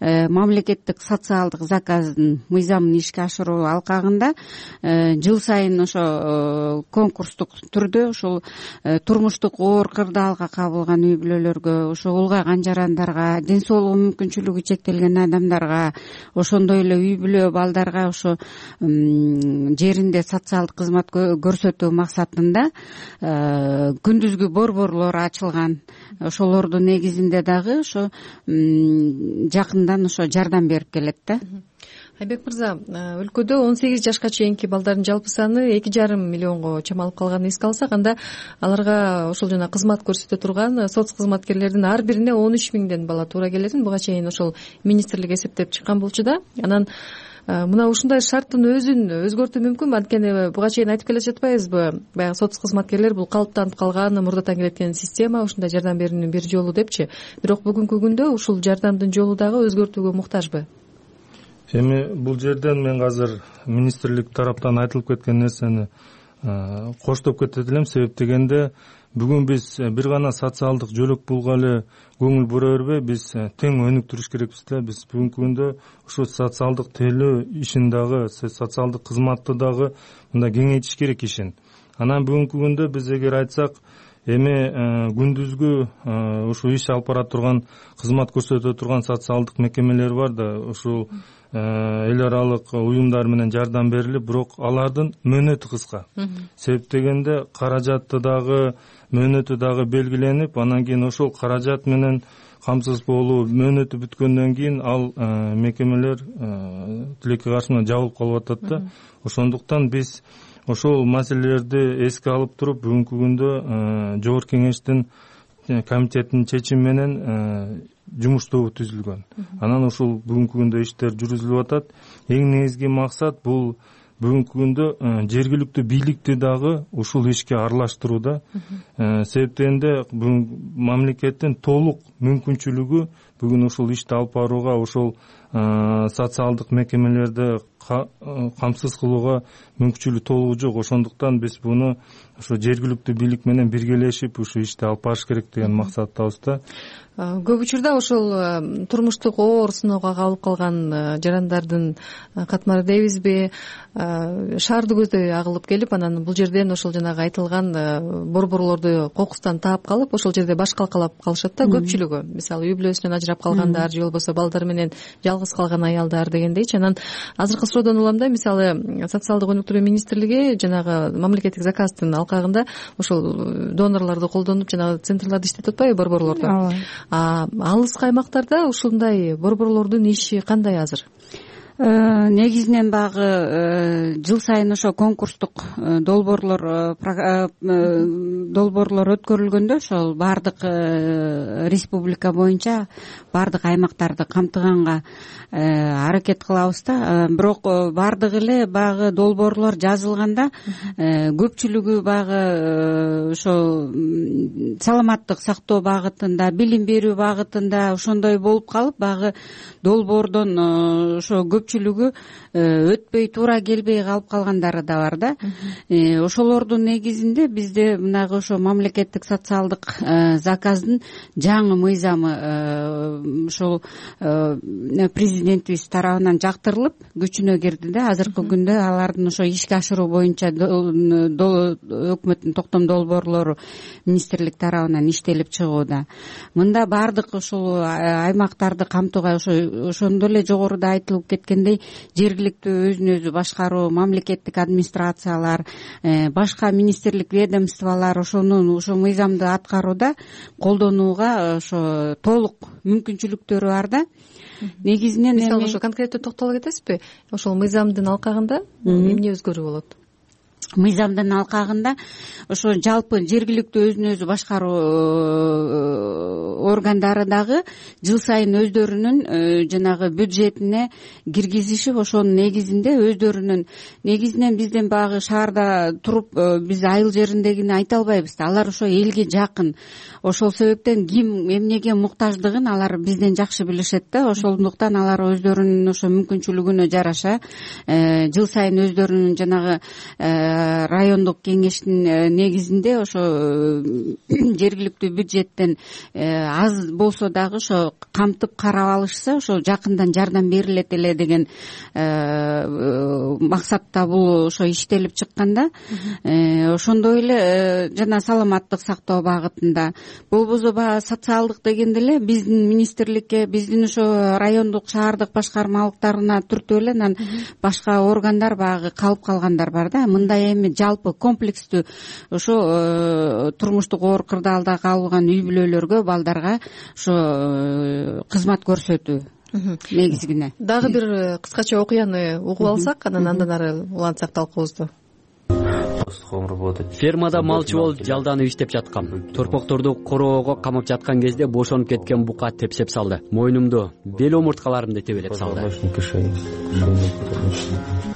Speaker 17: мамлекеттик социалдык заказдын мыйзамын ишке ашыруу алкагында жыл сайын ошо конкурстук түрдө ушул турмуштук оор кырдаалга кабылган үй бүлөлөргө, ошо улгайган жарандарга, ден соолугу мүмкүнчүлүгү чектелген адамдарга, ошондой эле үй бүлө балдарга ошо жеринде социалдык кызмат көрсөтүү максатында күндүзгү борборлор ачылган. Ошолордун негизинде дагы ошо жакындан ошо жардам берип келет да.
Speaker 13: Айбек мырза, өлкөдө 18 жашка чейинки балдардын жалпы саны 2,5 миллионго чамалып калганын эске алсак, анда аларга ошол жана кызмат көрсөтө турган соц кызматкерлердин ар бирине 13 миңден бала туура келетин буга чейин ошол министрлик эсептеп чыккан болчу да. Анан мына ушундай шарттын өзүн өзгөртүү мүмкүнбү? Анткени буга чейин айтып келе жатпайбызбы, баягы соц кызматкерлер бул калыптанып калган, мурдатан келеткен система, ушундай жардам берүүнүн бир жолу депчи. Бирок бүгүнкү күндө ушул жардамдын жолу дагы өзгөртүүгө муктажбы?
Speaker 18: Эми бул жерден мен азыр министрлик тараптан айтылып кеткен нерсени коштоп кетет элем. Себеп дегенде бүгүн биз бир гана социалдык жөлөк пулга эле көңүл бура бербей, биз тең өнүктүрүш керекпиз да. Биз бүгүнкү күндө ушу социалдык тейлөө ишин дагы, социалдык кызматты дагы мындай кеңейтиш керек ишин. Анан бүгүнкү күндө биз эгер айтсак, эми күндүзгү ушул иш алып бара турган, кызмат көрсөтө турган социалдык мекемелер бар да, ушул эл аралык уюмдар менен жардам берилип, бирок алардын мөөнөтү кыска. Себеп дегенде каражаты дагы, мөөнөтү дагы белгиленип, анан кийин ошол каражат менен камсыз болуу, мөөнөтү бүткөндөн кийин ал мекемелер тилекке каршы жабылып калып атат да. Ошондуктан биз ошол маселелерди эске алып туруп, бүгүнкү күндө жогорку кеңештин комитетинин чечими менен жумуш тобу түзүлгөн. Анан ушул бүгүнкү күндө иштер жүргүзүлүп атат. Эң негизги максат бул бүгүнкү күндө жергиликтүү бийликти дагы ушул ишке аралаштырууда. Себеп дегенде бүгүн мамлекеттин толук мүмкүнчүлүгү бүгүн ушул ишти алып барууга, ошол социалдык мекемелерди камсыз кылууга мүмкүнчүлүгү толугу жок. Ошондуктан биз буну ошо жергиликтүү бийлик менен биргелешип ушу ишти алып барыш керек деген максаттабыз да.
Speaker 13: Көп учурда ошол турмуштук оор сыноого кабылып калган жарандардын катмары дейбизби, шаарды көздөй агылып келип, анан бул жерден ошол жанагы айтылган борборлорду кокустан таап калып, ошол жерде баш калкалап калышат да көпчүлүгү. Мисалы үй бүлөсүнөн ажырап калгандар, же болбосо балдары менен жалгыз калган аялдар дегендейчи. Анан азыркы суроодон улам да, мисалы социалдык өнүктүрүү министрлиги жанагы мамлекеттик заказдын алкагында ошол донорлорду колдонуп жанагы центрларды иштетип атпайбы, борборлорду. Алыс аймактарда ушундай борборлордун иши кандай азыр?
Speaker 17: Негизинен багы жыл сайын ошо конкурстук долбоорлор өткөрүлгөндө ошол баардык республика боюнча баардык аймактарды камтыганга аракет кылабыз да. Бирок баардыгы эле багы долбоорлор жазылганда көпчүлүгү багы ошо саламаттык сактоо багытында, билим берүү багытында ошондой болуп калып, багы долбоордон ошо көпчүлүгү өтпөй, туура келбей калып калгандары да бар да. Ошолордун негизинде бизде мынагы ошо мамлекеттик социалдык заказдын жаңы мыйзамы ошол президентибиз тарабынан жактырылып күчүнө кирди да. Азыркы күндө алардын ошо ишке ашыруу боюнча өкмөттүн токтом долбоорлору министрлик тарабынан иштелип чыгууда. Мында баардык ушул аймактарды камтууга ошондой эле жогоруда айтылып кеткендей жергиликтүү өзүн өзү башкаруу, мамлекеттик администрациялар, башка министрлик ведомстволор ошо мыйзамды аткарууда, колдонууга ошо толук мүмкүнчүлүктөрү бар да. Негизинен
Speaker 13: мисалы ошо конкреттүү токтоло кетесизби? Ошол мыйзамдын алкагында эмне өзгөрүү болот?
Speaker 17: мыйзамдын алкагында ошо жалпы жергиликтүү өзүн өзү башкаруу органдары дагы жыл сайын өздөрүнүн жанагы бюджетине киргизишип, ошонун негизинде өздөрүнүн негизинен бизден баягы шаарда туруп биз айыл жериндегини айта албайбыз да, алар ошо элге жакын. Ошол себептен ким эмнеге муктаждыгын алар бизден жакшы билишет да. Ошондуктан алар өздөрүнүн ошо мүмкүнчүлүгүнө жараша жыл сайын өздөрүнүн жанагы райондук кеңештин негизинде ошо жергиликтүү бюджеттен аз болсо дагы ошо камтып карап алышса, ошо жакындан жардам берилет эле деген максатта бул ошо иштелип чыкканда, ошондой эле жана саламаттык сактоо багытында болбосо баягы социалдык дегенде эле биздин министрликке, биздин ошо райондук шаардык башкармалыктарына түртүп эле анан башка органдар баягы калып калгандар бар да. Мындай эми жалпы комплекстүү ошо турмуштук оор кырдаалда кабылган үй бүлөлөргө, балдарга ошо кызмат көрсөтүү негизгине.
Speaker 13: Дагы бир кыскача окуяны угуп алсак, анан ары улантсак талкуубузду.
Speaker 19: Фермада малчы болуп жалданып иштеп жаткам. Торпокторду короого камап жаткан кезде бошонуп кеткен бука тепсеп салды. Мойнумду, бел омурткаларымды тебелеп салды.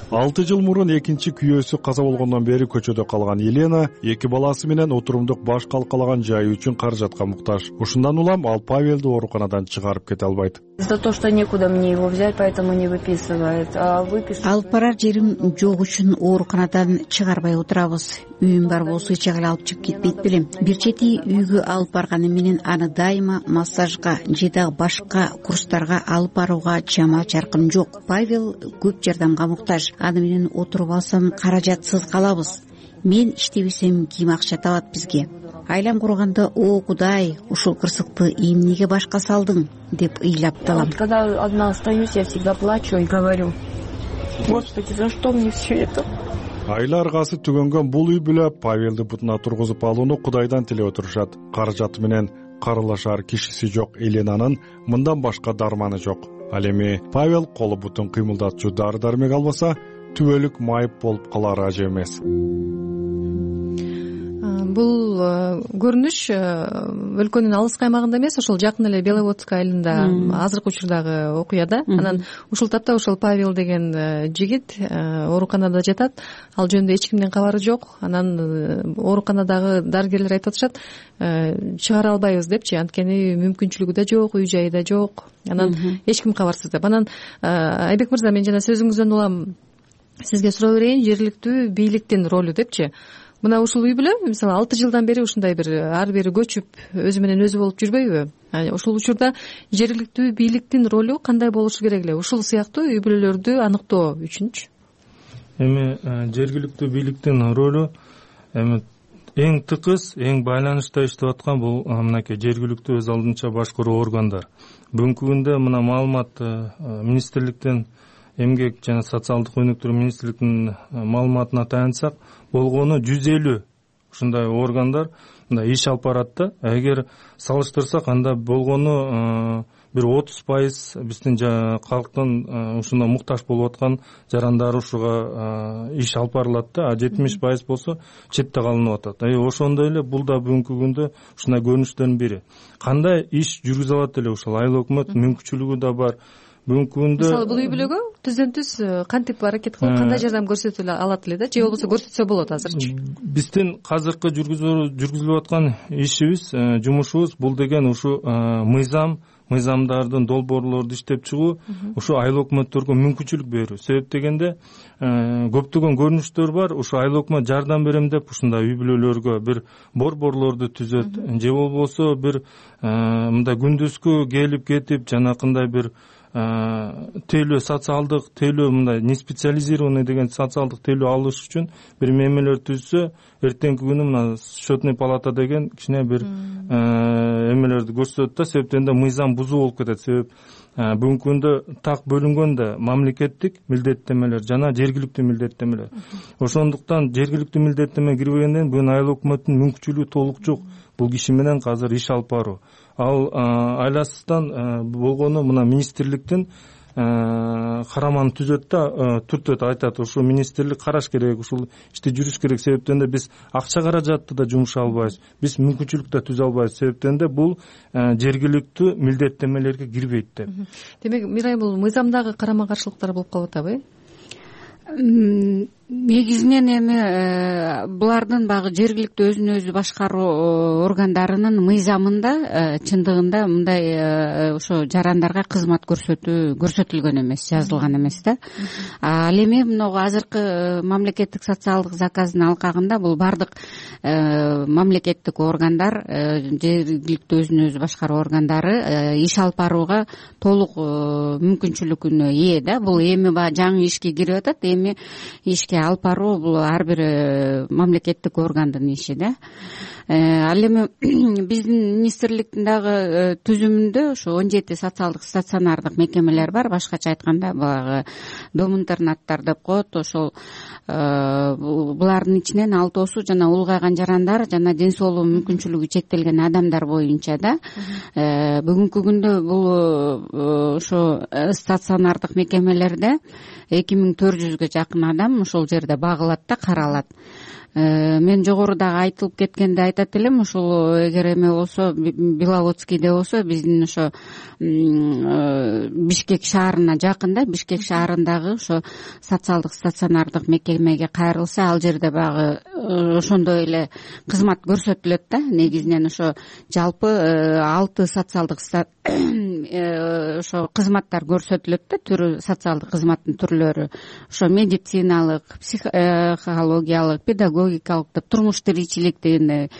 Speaker 20: 6 жыл мурун экинчи күйөөсү каза болгондон бери көчөдө калган Елена 2 баласы менен отурумдук баш калкалаган жайы үчүн каражатка муктаж. Ушундан улам ал Павелди ооруканадан чыгарып кете албайт.
Speaker 21: За то, что некуда мне его взять, поэтому не выписывает.
Speaker 17: Алып барар жерим жок үчүн ооруканадан чыгарбай отурабыз. Үйүм бар болсо эч жагы алып чыгып кетпейт белем. Бир чети үйгө алып барганы менен аны дайыма массажга же дагы башка курстарга алып барууга чама чаркым жок. Павел көп жардамга муктаж. Аны менен отуруп алсам каражатсыз калабыз. Мен иштебесем ким акча табат бизге? Айлам курганда, о Кудай, ушул кырсыкты эмнеге башка салдың деп ыйлап талам.
Speaker 21: Когда одна остаюсь, я всегда плачу и говорю: Господи, за что мне все это?
Speaker 20: Айла аргасы түгөнгөн бул үй бүлө Павелди бутуна тургузуп алууну Кудайдан тилеп отурушат. Каражаты менен карылашар кишиси жок Еленанын мындан башка дарманы жок. Ал эми Павел колу бутун кыймылдатчу дары дармек албаса, түбөлүк майып болуп калар ажы эмес.
Speaker 13: Бул көрүнүш өлкөнүн алыс каймагында эмес, ошол жакын эле Беловодск айылында азыркы учурдагы окуяда. Анан ушул тапта ошол Павел деген жигит ооруканада жатат. Ал жөнүндө эч кимдин кабары жок. Анан ооруканадагы дарыгерлер айтып атышат, чыгара албайбыз депчи, анткени мүмкүнчүлүгү да жок, үй жайы да жок. Анан эч ким кабарсыз деп. Анан Айбек мырза, мен жана сөзүңүздөн улам сизге суроо берейин, жергиликтүү бийликтин ролу депчи. Мына ушул үй бүлө мисалы 6 жылдан бери ушундай бир ары бери көчүп өзү менен өзү болуп жүрбөйбү? Ушул учурда жергиликтүү бийликтин ролу кандай болушу керек эле? Ушул сыяктуу үй бүлөлөрдү аныктоо үчүнчү.
Speaker 18: Эми жергиликтүү бийликтин ролу эми эң тыкыз, эң байланышта иштеп аткан бул мынакей жергиликтүү өз алдынча башкаруу органдар. Бүгүнкү күндө мына маалымат министрликтен, эмгек жана социалдык өнүктүрүү министрлигинин маалыматына таянсак, болгону 150 ушундай органдар мындай иш алып барат да. Эгер салыштырсак, анда болгону бир 30% биздин калктын ушуна муктаж болуп аткан жарандары ушуга иш алып барылат да, 70% болсо четте калынып атат. Ошондой эле бул да бүгүнкү күндө ушундай көрүнүштөрдүн бири. Кандай иш жүргүзө алат эле ушул айыл өкмөт, мүмкүнчүлүгү да бар. Бүгүнкү күндө
Speaker 13: мисалы бул үй бүлөгө түздөн түз кантип аракет кылып, кандай жардам көрсөтө алат эле да, же болбосо көрсөтсө болот азырчы? Биздин
Speaker 18: азыркы жүргүзүлүп аткан ишибиз, жумушубуз бул деген ушу мыйзамдардын долбоорлорду иштеп чыгуу, ушу айыл өкмөттөргө мүмкүнчүлүк берүү. Себеп дегенде көптөгөн көрүнүштөр бар. Ушу айыл өкмөт жардам берем деп ушундай үй бүлөлөргө бир борборлорду түзөт, же болбосо бир мындай күндүзгү келип кетип жанакындай бир тейлөө, социалдык тейлөө, мындай не специализированный деген социалдык тейлөө алыш үчүн бир мемелер түзсө, эртеңки күнү мына счетный палата деген кичине бир эмелерди көрсөтөт да. Себептен да мыйзам бузуу болуп кетет. Себеп бүгүнкү күндө так бөлүнгөн да мамлекеттик милдеттемелер жана жергиликтүү милдеттемелер. Ошондуктан жергиликтүү милдеттеме кирбегенден бүгүн айыл өкмөттүн мүмкүнчүлүгү толук жок бул киши менен азыр иш алып баруу. Ал айласыздан болгону мына министрликтин караманы түзөт да түртөт, айтат ушул министрлик караш керек, ушул ишти жүрүш керек. Себептен да биз акча каражатты да жумуша албайбыз, биз мүмкүнчүлүк да түзө албайбыз. Себептен да бул жергиликтүү милдеттенмелерге кирбейт деп.
Speaker 13: Демек Мирайым, бул мыйзамдагы карама каршылыктар болуп калып атабы?
Speaker 17: Негизинен эми булардын баягы жергиликтүү өзүн өзү башкаруу органдарынын мыйзамында чындыгында мындай ошо жарандарга кызмат көрсөтүлгөн эмес, жазылган эмес да. Ал эми могу азыркы мамлекеттик социалдык заказдын алкагында бул бардык мамлекеттик органдар, жергиликтүү өзүн өзү башкаруу органдары иш алып барууга толук мүмкүнчүлүгүнө ээ да. Бул эми баягы жаңы ишке кирип атат, эми ишке алып баруу бул ар бир мамлекеттик органдын иши да. Ал эми биздин министрликтин дагы түзүмүндө ошо 17 социалдык стационардык мекемелер бар. Башкача айтканда баягы дом интернаттар деп коет. Ошол булардын ичинен 6 жана улгайган жарандар жана ден соолугу мүмкүнчүлүгү чектелген адамдар боюнча да. Бүгүнкү күндө бул ошо стационардык мекемелерде 2400гө жакын адам ошол жерде багылат да, каралат. Мен жогорудагы айтылып кеткенде айтат элем, ушул эгер эме болсо, Беловодскийде болсо, биздин ошо Бишкек шаарына жакын да, Бишкек шаарындагы ошо социалдык стационардык мекемеге кайрылса, ал жерде баягы ошондой эле кызмат көрсөтүлөт да. Негизинен ошо жалпы 6 социалдык ошо кызматтар көрсөтүлөт да, түрү социалдык кызматтын түрлөрү. Ошо медициналык, психологиялык, педагогикалык деп, турмуш тиричилик дегендей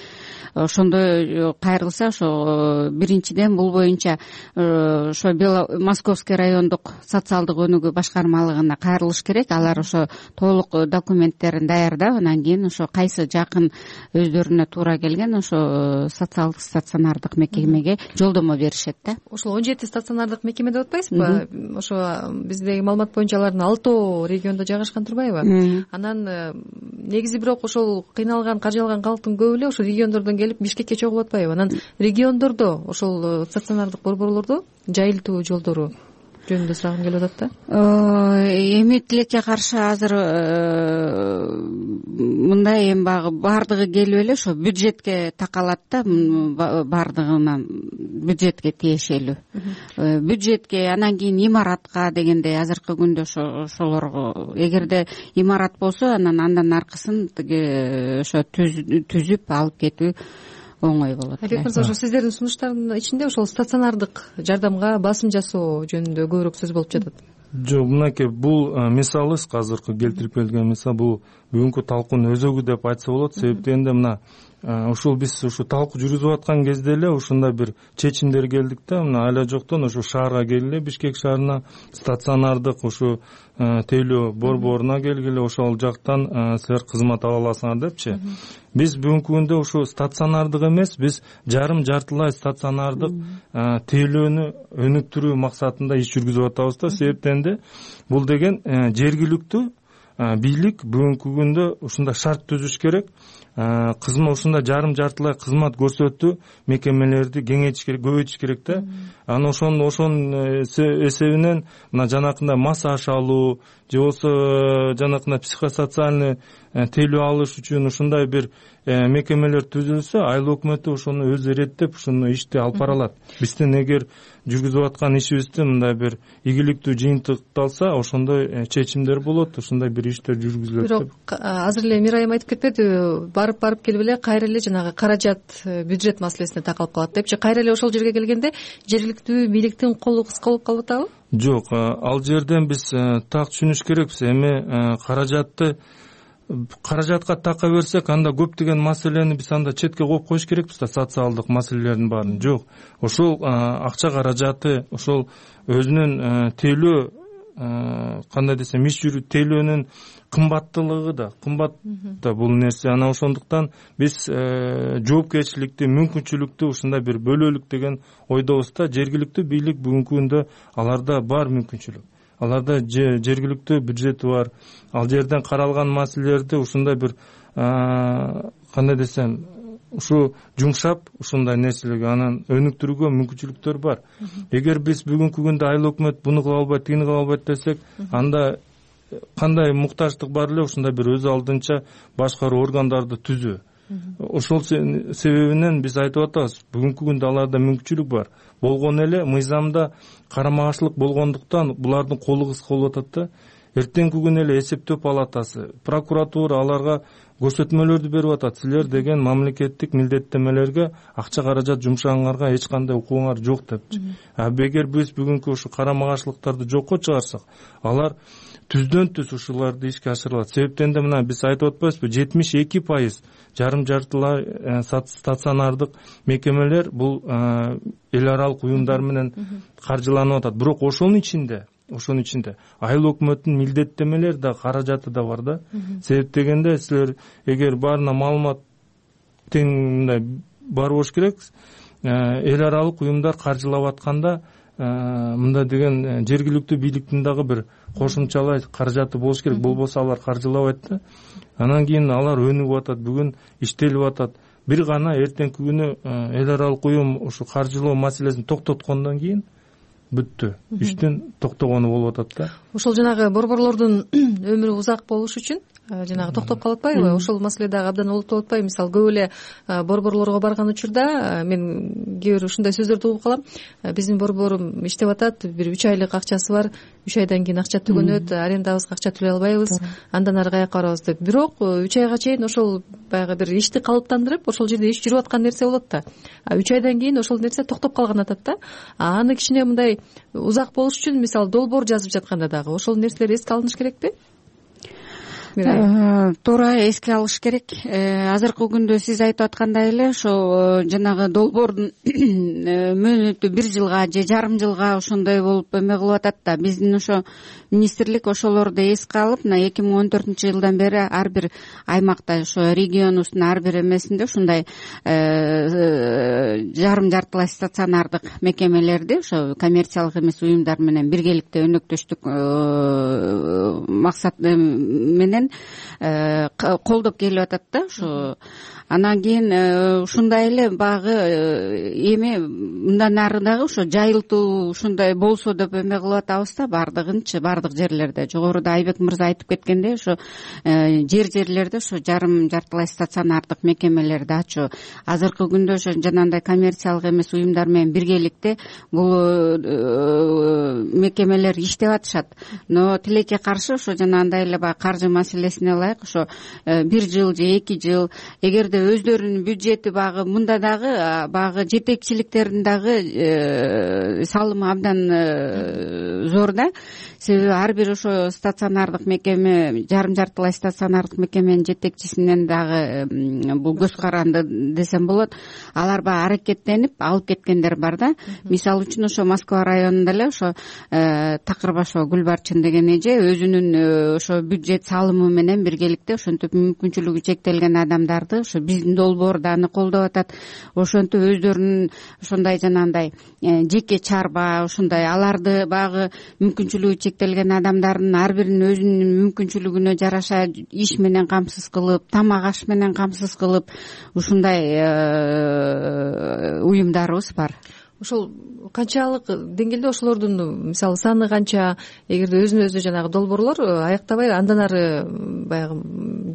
Speaker 17: ошондой кайрылса, ошо биринчиден бул боюнча ошо Московский райондук социалдык өнүгүү башкармалыгына кайрылыш керек. Алар ошо толук документтерин даярдап, анан кийин ошо кайсы жакын өздөрүнө туура келген ошо социалдык стационардык мекемеге жолдомо беришет да.
Speaker 13: Ошол 17 стационардык мекеме деп атпайсызбы? Ошо биздеги маалымат боюнча алардын 6 региондо жайгашкан турбайбы? Анан негизи бирок ошол кыйналган, каржалган калктын көбү эле ошо региондордон келип Бишкекке чогуп атпайбы? Анан региондордо ошол стационардык борборлордо жайылтуу жолдору жөнүндө сурагым келип атат да.
Speaker 17: Эми тилекке каршы азыр мындай эми баягы бардыгы келип эле ошо бюджетке такалат да, бардыгынан бюджетке тиешелүү. Бюджетке, анан кийин имаратка дегендей азыркы күндө ошолорго эгерде имарат болсо, андан аркысын тиги ошо түзүп алып кетүү оңой болот.
Speaker 13: Айбек мырза, ошо сиздердин сунуштардын ичинде ошол стационардык жардамга басым жасоо жөнүндө көбүрөөк сөз болуп жатат.
Speaker 18: Жок, мынакей бул мисалыбыз азыркы келтирип келген мисал, бул бүгүнкү талкуунун өзөгү деп айтса болот. Себептен мына ушул биз ушу талкуу жүргүзүп аткан кезде эле ушундай бир чечимдер келдик да. Мына айла жоктон ушу шаарга келгиле, Бишкек шаарына стационардык ушу тейлөө борборуна келгиле, ошол жактан силер кызмат ала аласыңар депчи. Биз бүгүнкү күндө ушу стационардык эмес, биз жартылай стационардык тейлөөнү өнүктүрүү максатында иш жүргүзүп атабыз да. Себептен да бул деген жергиликтүү бийлик бүгүнкү күндө ушундай шарт түзүш керек. Кызмат ушундай жартылай кызмат көрсөтүү мекемелерди кеңейтиш керек, көбөйтүш керек да. Анан ошонун эсебинен мына жанакындай массаж алуу же болбосо жанакындай психосоциальный тейлөө алыш үчүн ушундай бир мекемелер түзүлсө, айыл өкмөтү ошону өзү иреттеп ушуну ишти алып бара алат. Биздин эгер жүргүзүп аткан ишибизде мындай бир ийгиликтүү жыйынтыкталса, ошондой чечимдер болот, ушундай бир иштер жүргүзүлөт деп.
Speaker 13: Бирок азыр эле Мирайым айтып кетпедиби, барып келип эле кайра эле жанагы каражат, бюджет маселесине такалып калат депчи. Кайра эле ошол жерге келгенде жергиликтүү бийликтин колу кыска болуп калып атабы?
Speaker 18: Жок, ал жерден биз так түшүнүш керекпиз. Эми каражатка така берсек, анда көптөгөн маселени биз анда четке коюп коюш керекпиз да, социалдык маселелердин баарын. Жок, ошол акча каражаты, ошол өзүнүн тейлөө, кандай десем, иш жүрүү тейлөөнүн кымбаттуулугу да, кымбат да бул нерсе. Анан ошондуктан биз жоопкерчиликти, мүмкүнчүлүктү ушундай бир бөлөлүк деген ойдобуз да. Жергиликтүү бийлик бүгүнкү күндө аларда бар мүмкүнчүлүк. Аларда жергиликтүү бюджети бар. Ал жерден каралган маселелерди ушундай бир кандай десем, ушу жумшап ушундай нерселерге анан өнүктүрүүгө мүмкүнчүлүктөр бар. Эгер биз бүгүнкү күндө айыл өкмөт буну кыла албайт, тигини кыла албайт десек, анда кандай муктаждык бар эле ушундай бир өз алдынча башкаруу органдарды түзүү. Ошол себебинен биз айтып атабыз, бүгүнкү күндө аларда мүмкүнчүлүк бар. Болгон эле мыйзамда карама-каршылык болгондуктан булардын колу кыска болуп атат да. Эртеңки күнү эле эсептөө палатасы, прокуратура аларга көрсөтмөлөрдү берип атат. Силер деген мамлекеттик милдеттемелерге акча каражат жумшагаңарга эч кандай укугуңар жок депчи. Эгер биз бүгүнкү ушу карама-каршылыктарды жокко чыгарсак, алар түздөн түз ушуларды ишке ашырылат. Себептен да мына биз айтып атпайбызбы, 72% жарым-жартылай стационардык мекемелер бул эл аралык уюмдар менен каржыланып атат. Бирок ошонун ичинде айыл өкмөттүн милдеттемелери да, каражаты да бар да. Себеп дегенде силер эгер баарына маалымат тең мындай бар болуш керек. Эл аралык уюмдар каржылап атканда мында деген жергиликтүү бийликтин дагы бир кошумчалай каражаты болуш керек. Болбосо алар каржылабайт да. Анан кийин алар өнүгүп атат, бүгүн иштелип атат. Бир гана эртеңки күнү эл аралык уюм ушу каржылоо маселесин токтоткондон кийин бүттү. Иштин токтогону болуп атат да.
Speaker 13: Ошол жанагы борборлордун өмүрү узак болуш үчүн жанагы токтоп калып атпайбы? Ошол маселе дагы абдан олуттуу болуп атпайбы? Мисалы көп эле борборлорго барган учурда мен кээ бир ушундай сөздөрдү угуп калам. Биздин борборум иштеп атат, бир 3 айлык акчасы бар, 3 айдан кийин акча түгөнөт, арендабызга акча төлөй албайбыз, андан ары каяка барабыз деп. Бирок 3 айга чейин ошол баягы бир ишти калыптандырып, ошол жерде иш жүрүп аткан нерсе болот да. 3 айдан кийин ошол нерсе токтоп калган атат да. Аны кичине мындай узак болуш үчүн мисалы долбоор жазып жатканда дагы ошол нерселер эске алыныш керекпи?
Speaker 17: Туура эске алыш керек. Азыркы күндө сиз айтып аткандай эле ошо жанагы долбоордун мөөнөтү 1 жылга же жарым жылга ошондой болуп эме кылып атат да. Биздин ошо министрлик ошолорду эске алып, мына 2014-жылдан бери ар бир аймакта ошо регионубуздун ар бир эмесинде ушундай жарым-жартылай стационардык мекемелерди ошо коммерциялык эмес уюмдар менен биргеликте өнөктөштүк максат менен колдоп келип атат да. Ошо анан кийин ушундай эле багы эми мындан ары дагы ошо жайылтуу ушундай болсо деп эме кылып атабыз да. Бардыгынчы бардык жерлерде жогоруда Айбек мырза айтып кеткендей ошо жерлерде ошо жарым-жартылай стационардык мекемелерди ачуу. Азыркы күндө ошо жанагындай коммерциялык эмес уюмдар менен биргеликте бул мекемелер иштеп атышат. Но тилекке каршы ошо жанагындай эле баягы каржы маселесине ылайык ошо 1 жыл же 2 жыл эгерде өздөрүнүн бюджети багы мында дагы багы жетекчиликтердин дагы салымы абдан зор да. Себеби ар бир ошо стационардык мекеме, жарым-жартылай стационардык мекеменин жетекчисинен дагы бул көз каранды десем болот. Алар баягы аракеттенип алып кеткендер бар да. Мисалы үчүн ошо Москва районунда эле ошо Такырбашева Гүлбарчын деген эже өзүнүн ошо бюджет салымы менен биргеликте ошентип мүмкүнчүлүгү чектелген адамдарды ошо биздин долбоорду аны колдоп атат. Ошентип өздөрүнүн ошондой жанагындай жеке чарба ошондой аларды багы мүмкүнчүлүгү чектелген адамдардын ар биринин өзүнүн мүмкүнчүлүгүнө жараша иш менен камсыз кылып, тамак аш менен камсыз кылып ушундай уюмдарыбыз бар.
Speaker 13: Ошол канчалык деңгээлде ошолордун мисалы саны канча? Эгерде өзүнө өзү жанагы долбоорлор аяктабай андан ары баягы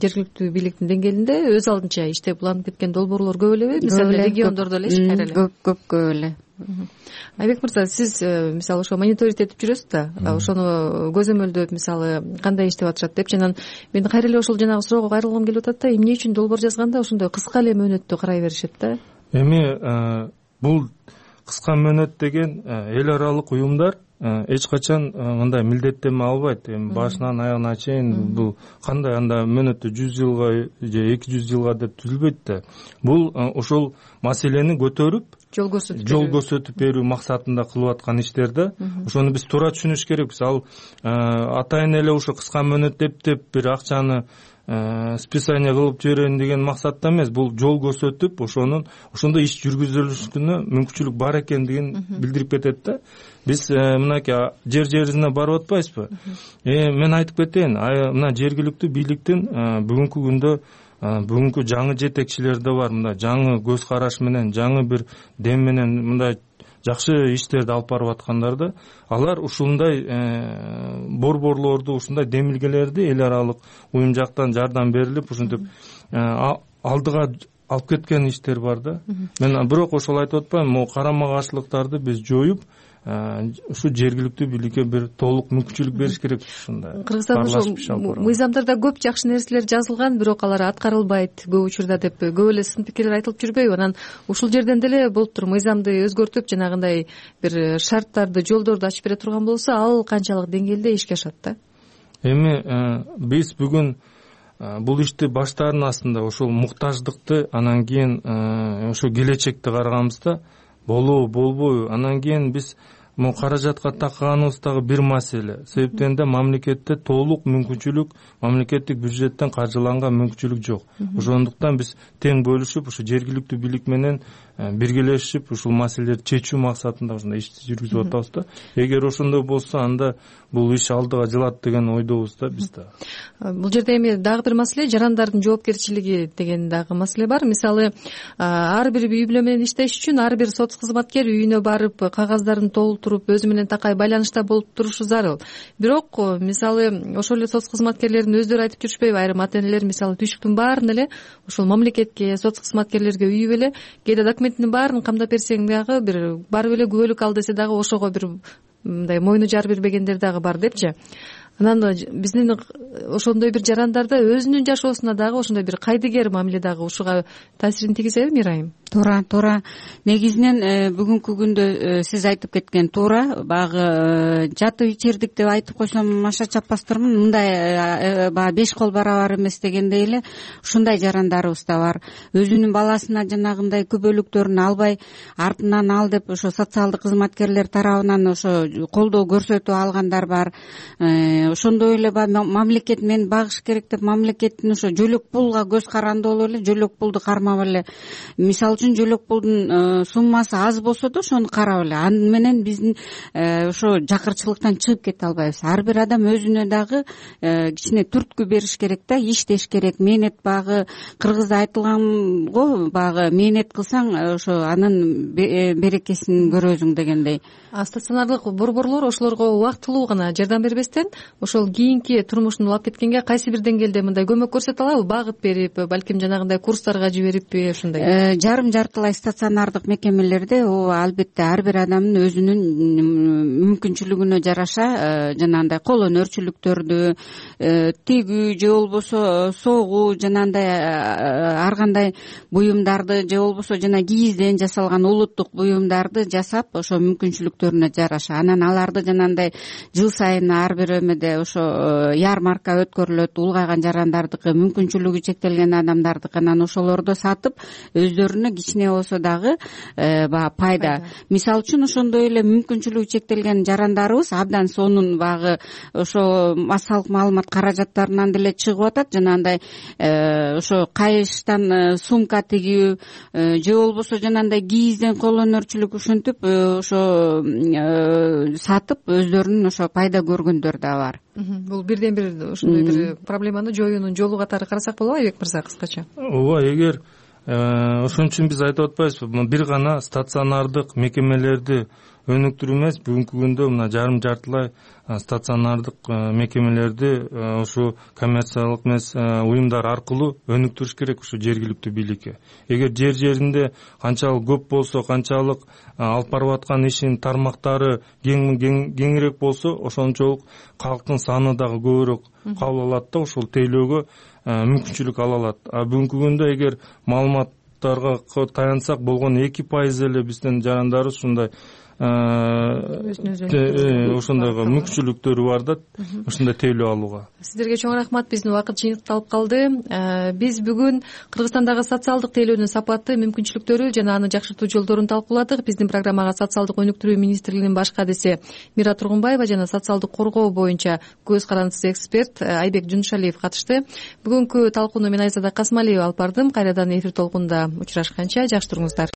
Speaker 13: жергиликтүү бийликтин деңгээлинде өз алдынча иштеп уланып кеткен долбоорлор көп элеби? Мисалы региондордо элечи кайра эле?
Speaker 17: Көп эле.
Speaker 13: Айбек мырза, сиз мисалы ошо мониторинг этип жүрөсүз да, ошону көзөмөлдөп мисалы кандай иштеп атышат депчи. Анан мен кайра эле ошол жанагы суроого кайрылгым келип атат да, эмне үчүн долбоор жазганда ошондой кыска эле мөөнөттө карай беришет да?
Speaker 18: Эми бул кыска мөөнөт деген эл аралык уюмдар эч качан мындай милдеттеме албайт. Эми башынан аягына чейин бул кандай анда мөөнөтү 100 жылга же 200 жылга деп түзүлбөйт да. Бул ошол маселени көтөрүп жол көрсөтүп берүү максатында кылып аткан иштер да. Ошону биз туура түшүнүш керекпиз. Ал атайын эле ошо кыска мөөнөт деп бир акчаны списание кылып жиберейин деген максатта эмес. Бул жол көрсөтүп ошондой иш жүргүзүлүшүнө мүмкүнчүлүк бар экендигин билдирип кетет да. Биз мынакей жерине барып атпайбызбы? Мен айтып кетейин, мына жергиликтүү бийликтин бүгүнкү күндө бүгүнкү жаңы жетекчилер да бар, мындай жаңы көз караш менен, жаңы бир дем менен мындай жакшы иштерди алып барып аткандар да. Алар ушундай борборлорду, ушундай демилгелерди эл аралык уюм жактан жардам берилип, ушинтип алдыга алып кеткен иштер бар да. Мен бирок ошол айтып атпайм, могу карама каршылыктарды биз жоюп, ушу жергиликтүү бийликке бир толук мүмкүнчүлүк бериш керек. Ушундай
Speaker 13: Кыргызстанда мыйзамдарда көп жакшы нерселер жазылган, бирок алар аткарылбайт көп учурда деп көп эле сын пикирлер айтылып жүрбөйбү? Анан ушул жерден деле болуптур, мыйзамды өзгөртүп, жанагындай бир шарттарды, жолдорду ачып бере турган болсо, ал канчалык деңгээлде ишке ашат да?
Speaker 18: Эми биз бүгүн бул ишти баштаардын астында ошол муктаждыкты, анан кийин ошо келечекти караганбызда болобу болбойбу, анан кийин биз могу каражатка такканыбыз дагы бир маселе. Себептен да мамлекетте толук мүмкүнчүлүк, мамлекеттик бюджеттен каржыланган мүмкүнчүлүк жок. Ошондуктан биз тең бөлүшүп, ушу жергиликтүү бийлик менен биргелешип ушул маселелерди чечүү максатында ушундай ишти жүргүзүп атабыз да. Эгер ошондой болсо, анда бул иш алдыга жылат деген ойдобуз да биз да.
Speaker 13: Бул жерде эми дагы бир маселе, жарандардын жоопкерчилиги деген дагы маселе бар. Мисалы, ар бир үй бүлө менен иштеш үчүн ар бир соц кызматкер үйүнө барып, кагаздарын толтуруп, өзү менен такай байланышта болуп турушу зарыл. Бирок, мисалы, ошол эле соц кызматкерлердин өздөрү айтып жүрүшпөйбү? Айрым ата-энелер, мисалы, түйшүктүн баарын эле ошол мамлекетке, соц кызматкерлерге үйүп эле, кээде документтин баарын камдап берсең дагы, бир барып эле күбөлүк ал десе дагы ошого бир мындай мойну жар бербегендер дагы бар депчи. Анан биздин ошондой бир жарандарда өзүнүн жашоосуна дагы ошондой бир кайдыгер мамиле дагы ушуга таасирин тийгизеби, Мирайым?
Speaker 17: Туура. Негизинен бүгүнкү күндө сиз айтып кеткен туура. Багы жатып ичирдик деп айтып койсом аша чаппастырмын. Мындай баягы 5 кол барабар эмес дегендей эле ушундай жарандарыбыз да бар. Өзүнүн баласына жанагындай күбөлүктөрүн албай, артынан ал деп ошо социалдык кызматкерлер тарабынан ошо колдоо көрсөтүп алгандар бар. Ошондой эле мамлекет мен багыш керек деп мамлекеттин ошо жөлөк пулга көз карандуу эле жөлөк пулду кармап эле, мисалы үчүн жөлөк пулдун суммасы аз болсо да ошону карап эле, аны менен биздин ошо жакырчылыктан чыгып кете албайбыз. Ар бир адам өзүнө дагы кичине түрткү бериш керек да, иштеш керек. Мээнет багы кыргызда айтылган го, багы мээнет кылсаң ошо анын берекесин көрөсүң дегендей.
Speaker 13: Стационардык борборлор ошолорго убактылуу гана жардам бербестен, ошол кийинки турмушун улап кеткенге кайсы бир деңгээлде мындай көмөк көрсөтө алабы? Багыт берип, балким жанагындай курстарга жибериппи, ушундай?
Speaker 17: Жарым-жартылай стационардык мекемелерде албетте ар бир адамдын өзүнүн мүмкүнчүлүгүнө жараша жанагындай кол өнөрчүлүктөрдү, тигүү же болбосо согуу, жанагындай ар кандай буюмдарды же болбосо жана кийизден жасалган улуттук буюмдарды жасап, ошо мүмкүнчүлүктөрүнө жараша. Анан аларды жанагындай жыл сайын ар бир эмеде ошо ярмарка өткөрүлөт, улгайган жарандардыкы, мүмкүнчүлүгү чектелген адамдардыкы. Анан ошолорду сатып өздөрүнө кичине болсо дагы баягы пайда. Мисалы үчүн ошондой эле мүмкүнчүлүгү чектелген жарандарыбыз абдан сонун багы ошо массалык маалымат каражаттарынан деле чыгып атат. Жанагындай ошо кайыштан сумка тигүү же болбосо жанагындай кийизден кол өнөрчүлүк ушинтип ошо сатып өздөрүнүн ошо пайда көргөндөр да бар.
Speaker 13: Бул бирден бир ушундай бир проблеманы жоюунун жолу катары карасак болобу, Айбек мырза, кыскача?
Speaker 18: Ооба, эгер ошон үчүн биз айтып атпайбызбы, бир гана стационардык мекемелерди өнүктүрүү эмес, бүгүнкү күндө мына жарым-жартылай стационардык мекемелерди ушу коммерциялык эмес уюмдар аркылуу өнүктүрүш керек ушу жергиликтүү бийликке. Эгер жер-жеринде канчалык көп болсо, канчалык алып барып аткан ишинин тармактары кеңирээк болсо, ошончолук калктын саны дагы көбүрөөк кабыл алат да, ошол тейлөөгө мүмкүнчүлүк ала алат. Бүгүнкү күндө эгер маалыматтарга таянсак, болгону 2% эле биздин жарандарыбыз ушундай ошондойго мүмкүнчүлүктөрү бар да, ушундай тейлөө алууга.
Speaker 13: Сиздерге чоң рахмат. Биздин убакыт жыйынтыкталып калды. Биз бүгүн Кыргызстандагы социалдык тейлөөнүн сапаты, мүмкүнчүлүктөрү жана аны жакшыртуу жолдорун талкууладык. Биздин программага социалдык өнүктүрүү министрлигинин баш кадиси Мира Тургунбаева жана социалдык коргоо боюнча көз карандысыз эксперт Айбек Жунушалиев катышты. Бүгүнкү талкууну мен Айзада Касмалиева алып бардым. Кайрадан эфир толкунда учурашканча жакшы туруңуздар.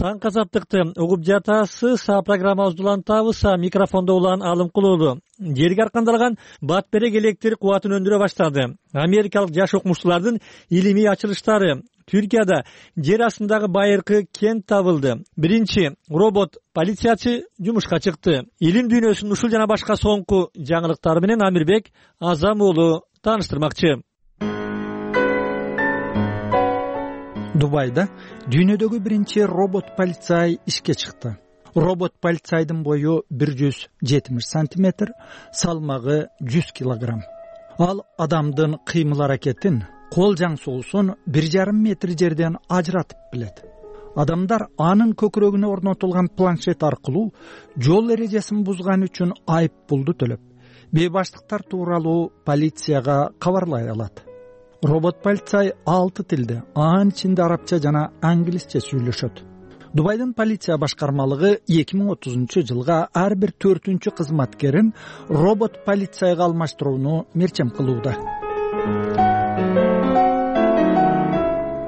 Speaker 1: Таңкы азаттыкты угуп жатасыз. Программабызды улантабыз. Микрофондо улан Алымкул уулу. Жерге аркандалган батберек электр кубатын өндүрө баштады. Америкалык жаш окумуштуулардын илимий ачылыштары. Түркияда жер астындагы байыркы кент табылды. Биринчи робот полициячы жумушка чыкты. Илим дүйнөсүнүн ушул жана башка соңку жаңылыктары менен Амирбек Азам уулу тааныштырмакчы.
Speaker 3: Дубайда дүйнөдөгү биринчи робот полицай ишке чыкты. Робот полицайдын бою 170 сантиметр, салмагы 100 килограмм. Ал адамдын кыймыл аракетин, кол жаңсоосун 1,5 метр жерден ажыратып билет. Адамдар анын көкүрөгүнө орнотулган планшет аркылуу жол эрежесин бузган үчүн айып пулду төлөп, бейбаштыктар тууралуу полицияга кабарлай алат. Робот полицай 6 тилде, анын ичинде арабча жана англисче сүйлөшөт. Дубайдын полиция башкармалыгы 2030 жылга ар бир 4-чү кызматкерин робот полицайга алмаштырууну мерчем кылууда.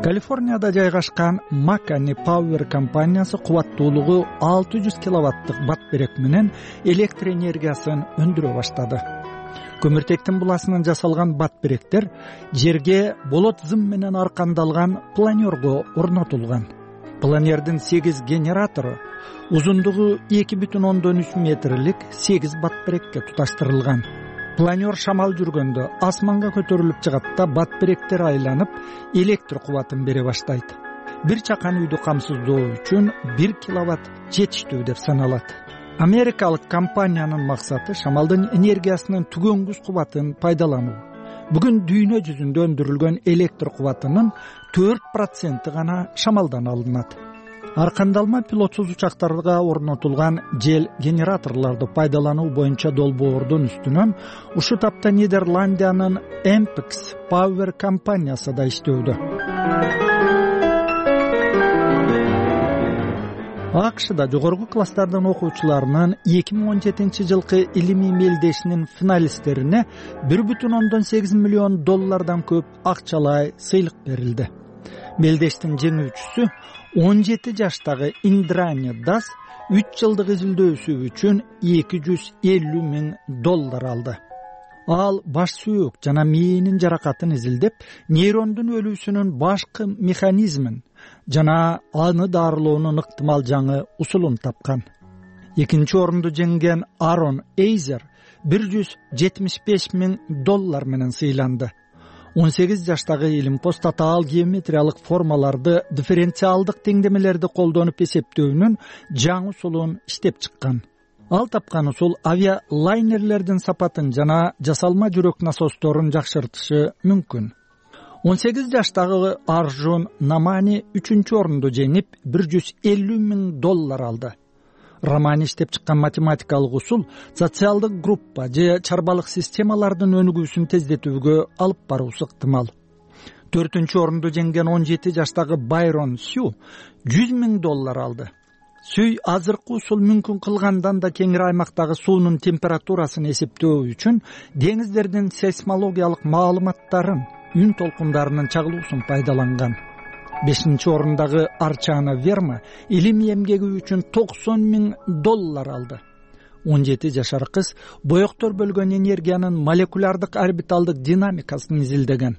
Speaker 3: Калифорнияда жайгашкан Makani Power компаниясы кубаттуулугу 600 киловаттык батберек менен электр энергиясын өндүрө баштады. Көмүртектин буласынан жасалган батберектер жерге болот зым менен аркандалган планерго орнотулган. Планердин 8 генератору узундугу 2,3 метрлик 8 батберекке туташтырылган. Планер шамал жүргөндө асманга көтөрүлүп чыгат да батберектер айланып электр кубатын бере баштайт. Бир чакан үйдү камсыздоо үчүн 1 киловатт жетиштүү деп саналат. Америкалык компаниянын максаты шамалдын энергиясынын түгөнгүс кубатын пайдалануу. Бүгүн дүйнө жүзүндө өндүрүлгөн электр кубатынын 4% гана шамалдан алынат. Аркандалма пилотсуз учактарга орнотулган жел генераторлорду пайдалануу боюнча долбоордун үстүнөн ушул тапта Нидерландиянын Ampex Power компаниясы да иштөөдө. АКШда жогорку класстардын окуучуларынын 2017 жылкы илимий мелдешинин финалисттерине 1,8 миллион доллардан көп акчалай сыйлык берилди. Мелдештин жеңүүчүсү 17 жаштагы Индрани Дас 3 жылдык изилдөөсү үчүн 250 миң доллар алды. Ал баш сүйөк жана мээнин жаракатын изилдеп, нейрондун өлүүсүнүн башкы механизмин жана аны дарылоонун ыктымал жаңы усулун тапкан. Экинчи орунду жеңген Арон Эйзер 175 миң доллар менен сыйланды. 18 жаштагы илимпоз татаал геометриялык формаларды дифференциалдык теңдемелерди колдонуп эсептөөнүн жаңы усулун иштеп чыккан. Ал тапкан усул авиалайнерлердин сапатын жана жасалма жүрөк насосторун жакшыртышы мүмкүн. 18 жаштагы Аржун Намани 3-чү орунду жеңип 150 миң доллар алды. Романи иштеп чыккан математикалык усул социалдык группа же чарбалык системалардын өнүгүүсүн тездетүүгө алып баруусу ыктымал. 4-чү орунду жеңген 17 жаштагы Байрон Сю 100 миң доллар алды. Сүй азыркы усул мүмкүн кылгандан да кеңири аймактагы суунун температурасын эсептөө үчүн деңиздердин сейсмологиялык маалыматтарын, үн толкундарынын чагылуусун пайдаланган. 5-чи орундагы Арчана Верма илимий эмгеги үчүн 90 миң доллар алды. 17 жашар кыз боектор бөлгөн энергиянын молекулярдык орбиталдык динамикасын изилдеген.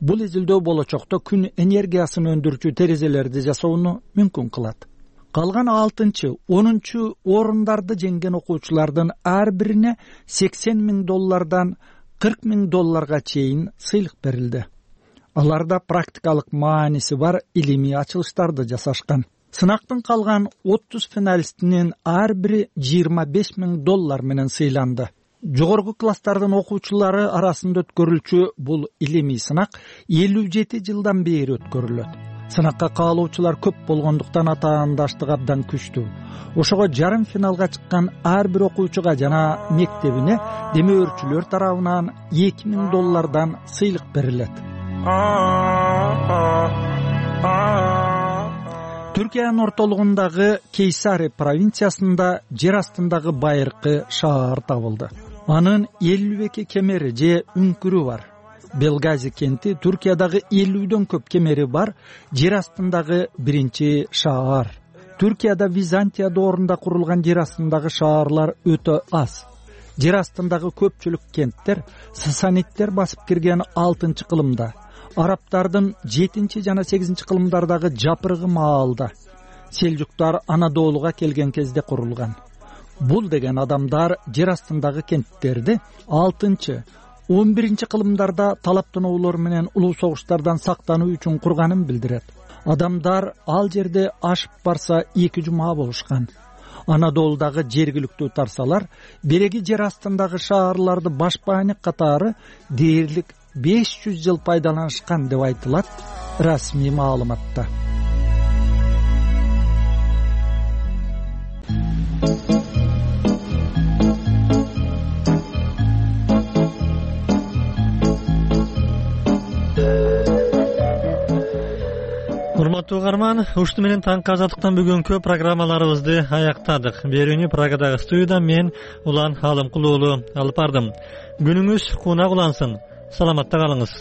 Speaker 3: Бул изилдөө болочокто күн энергиясын өндүрүүчү терезелерди жасоону мүмкүн кылат. Калган 6-чы, 10-чу орундарды жеңген окуучулардын ар бирине 80 миң доллардан 40 миң долларга чейин сыйлык берилди. Аларда практикалык мааниси бар илимий ачылыштарды жасашкан. Сынактын калган 30 финалистинин ар бири 25 миң доллар менен сыйланды. Жогорку класстардын окуучулары арасында өткөрүлчү бул илимий сынак 57 жылдан бери өткөрүлөт. Сынакка каалоочулар көп болгондуктан атаандаштык абдан күчтүү. Ошого жарым финалга чыккан ар бир окуучуга жана мектебине демөөрчүлөр тарабынан 2 миң доллардан сыйлык берилет. Түркиянын ортолугундагы Кейсари провинциясында жер астындагы байыркы шаар табылды. Анын 52 кемери же үңкүрү бар. Белгази кенти Түркиядагы 50дөн көп кемери бар жер астындагы биринчи шаар. Түркияда Византия доорунда курулган жер астындагы шаарлар өтө аз. Жер астындагы көпчүлүк кенттер сасаниттер басып кирген 6-кылымда, арабтардын 7 жана 8 кылымдардагы жапырыгы маалда, селжуктар Анадолуга келген кезде курулган. Бул деген адамдар жер астындагы кенттерди 6-11 кылымдарда талап тоноолор менен улуу согуштардан сактануу үчүн курганын билдирет. Адамдар ал жерде ашып барса 2 жума болушкан. Анадолудагы жергиликтүү тарсалар береги жер астындагы шаарларды башпаанек катары дээрлик 500 жыл пайдаланышкан деп айтылат расмий маалыматта.
Speaker 1: Урматтуу угарман, ушуну менен таңкы азаттыктан бүгүнкү программаларыбызды аяктадык. Берүүнү Прагадагы студиядан мен Улан Алымкул уулу алып бардым. Күнүңүз кунак улансын. Саламатта калыңыз.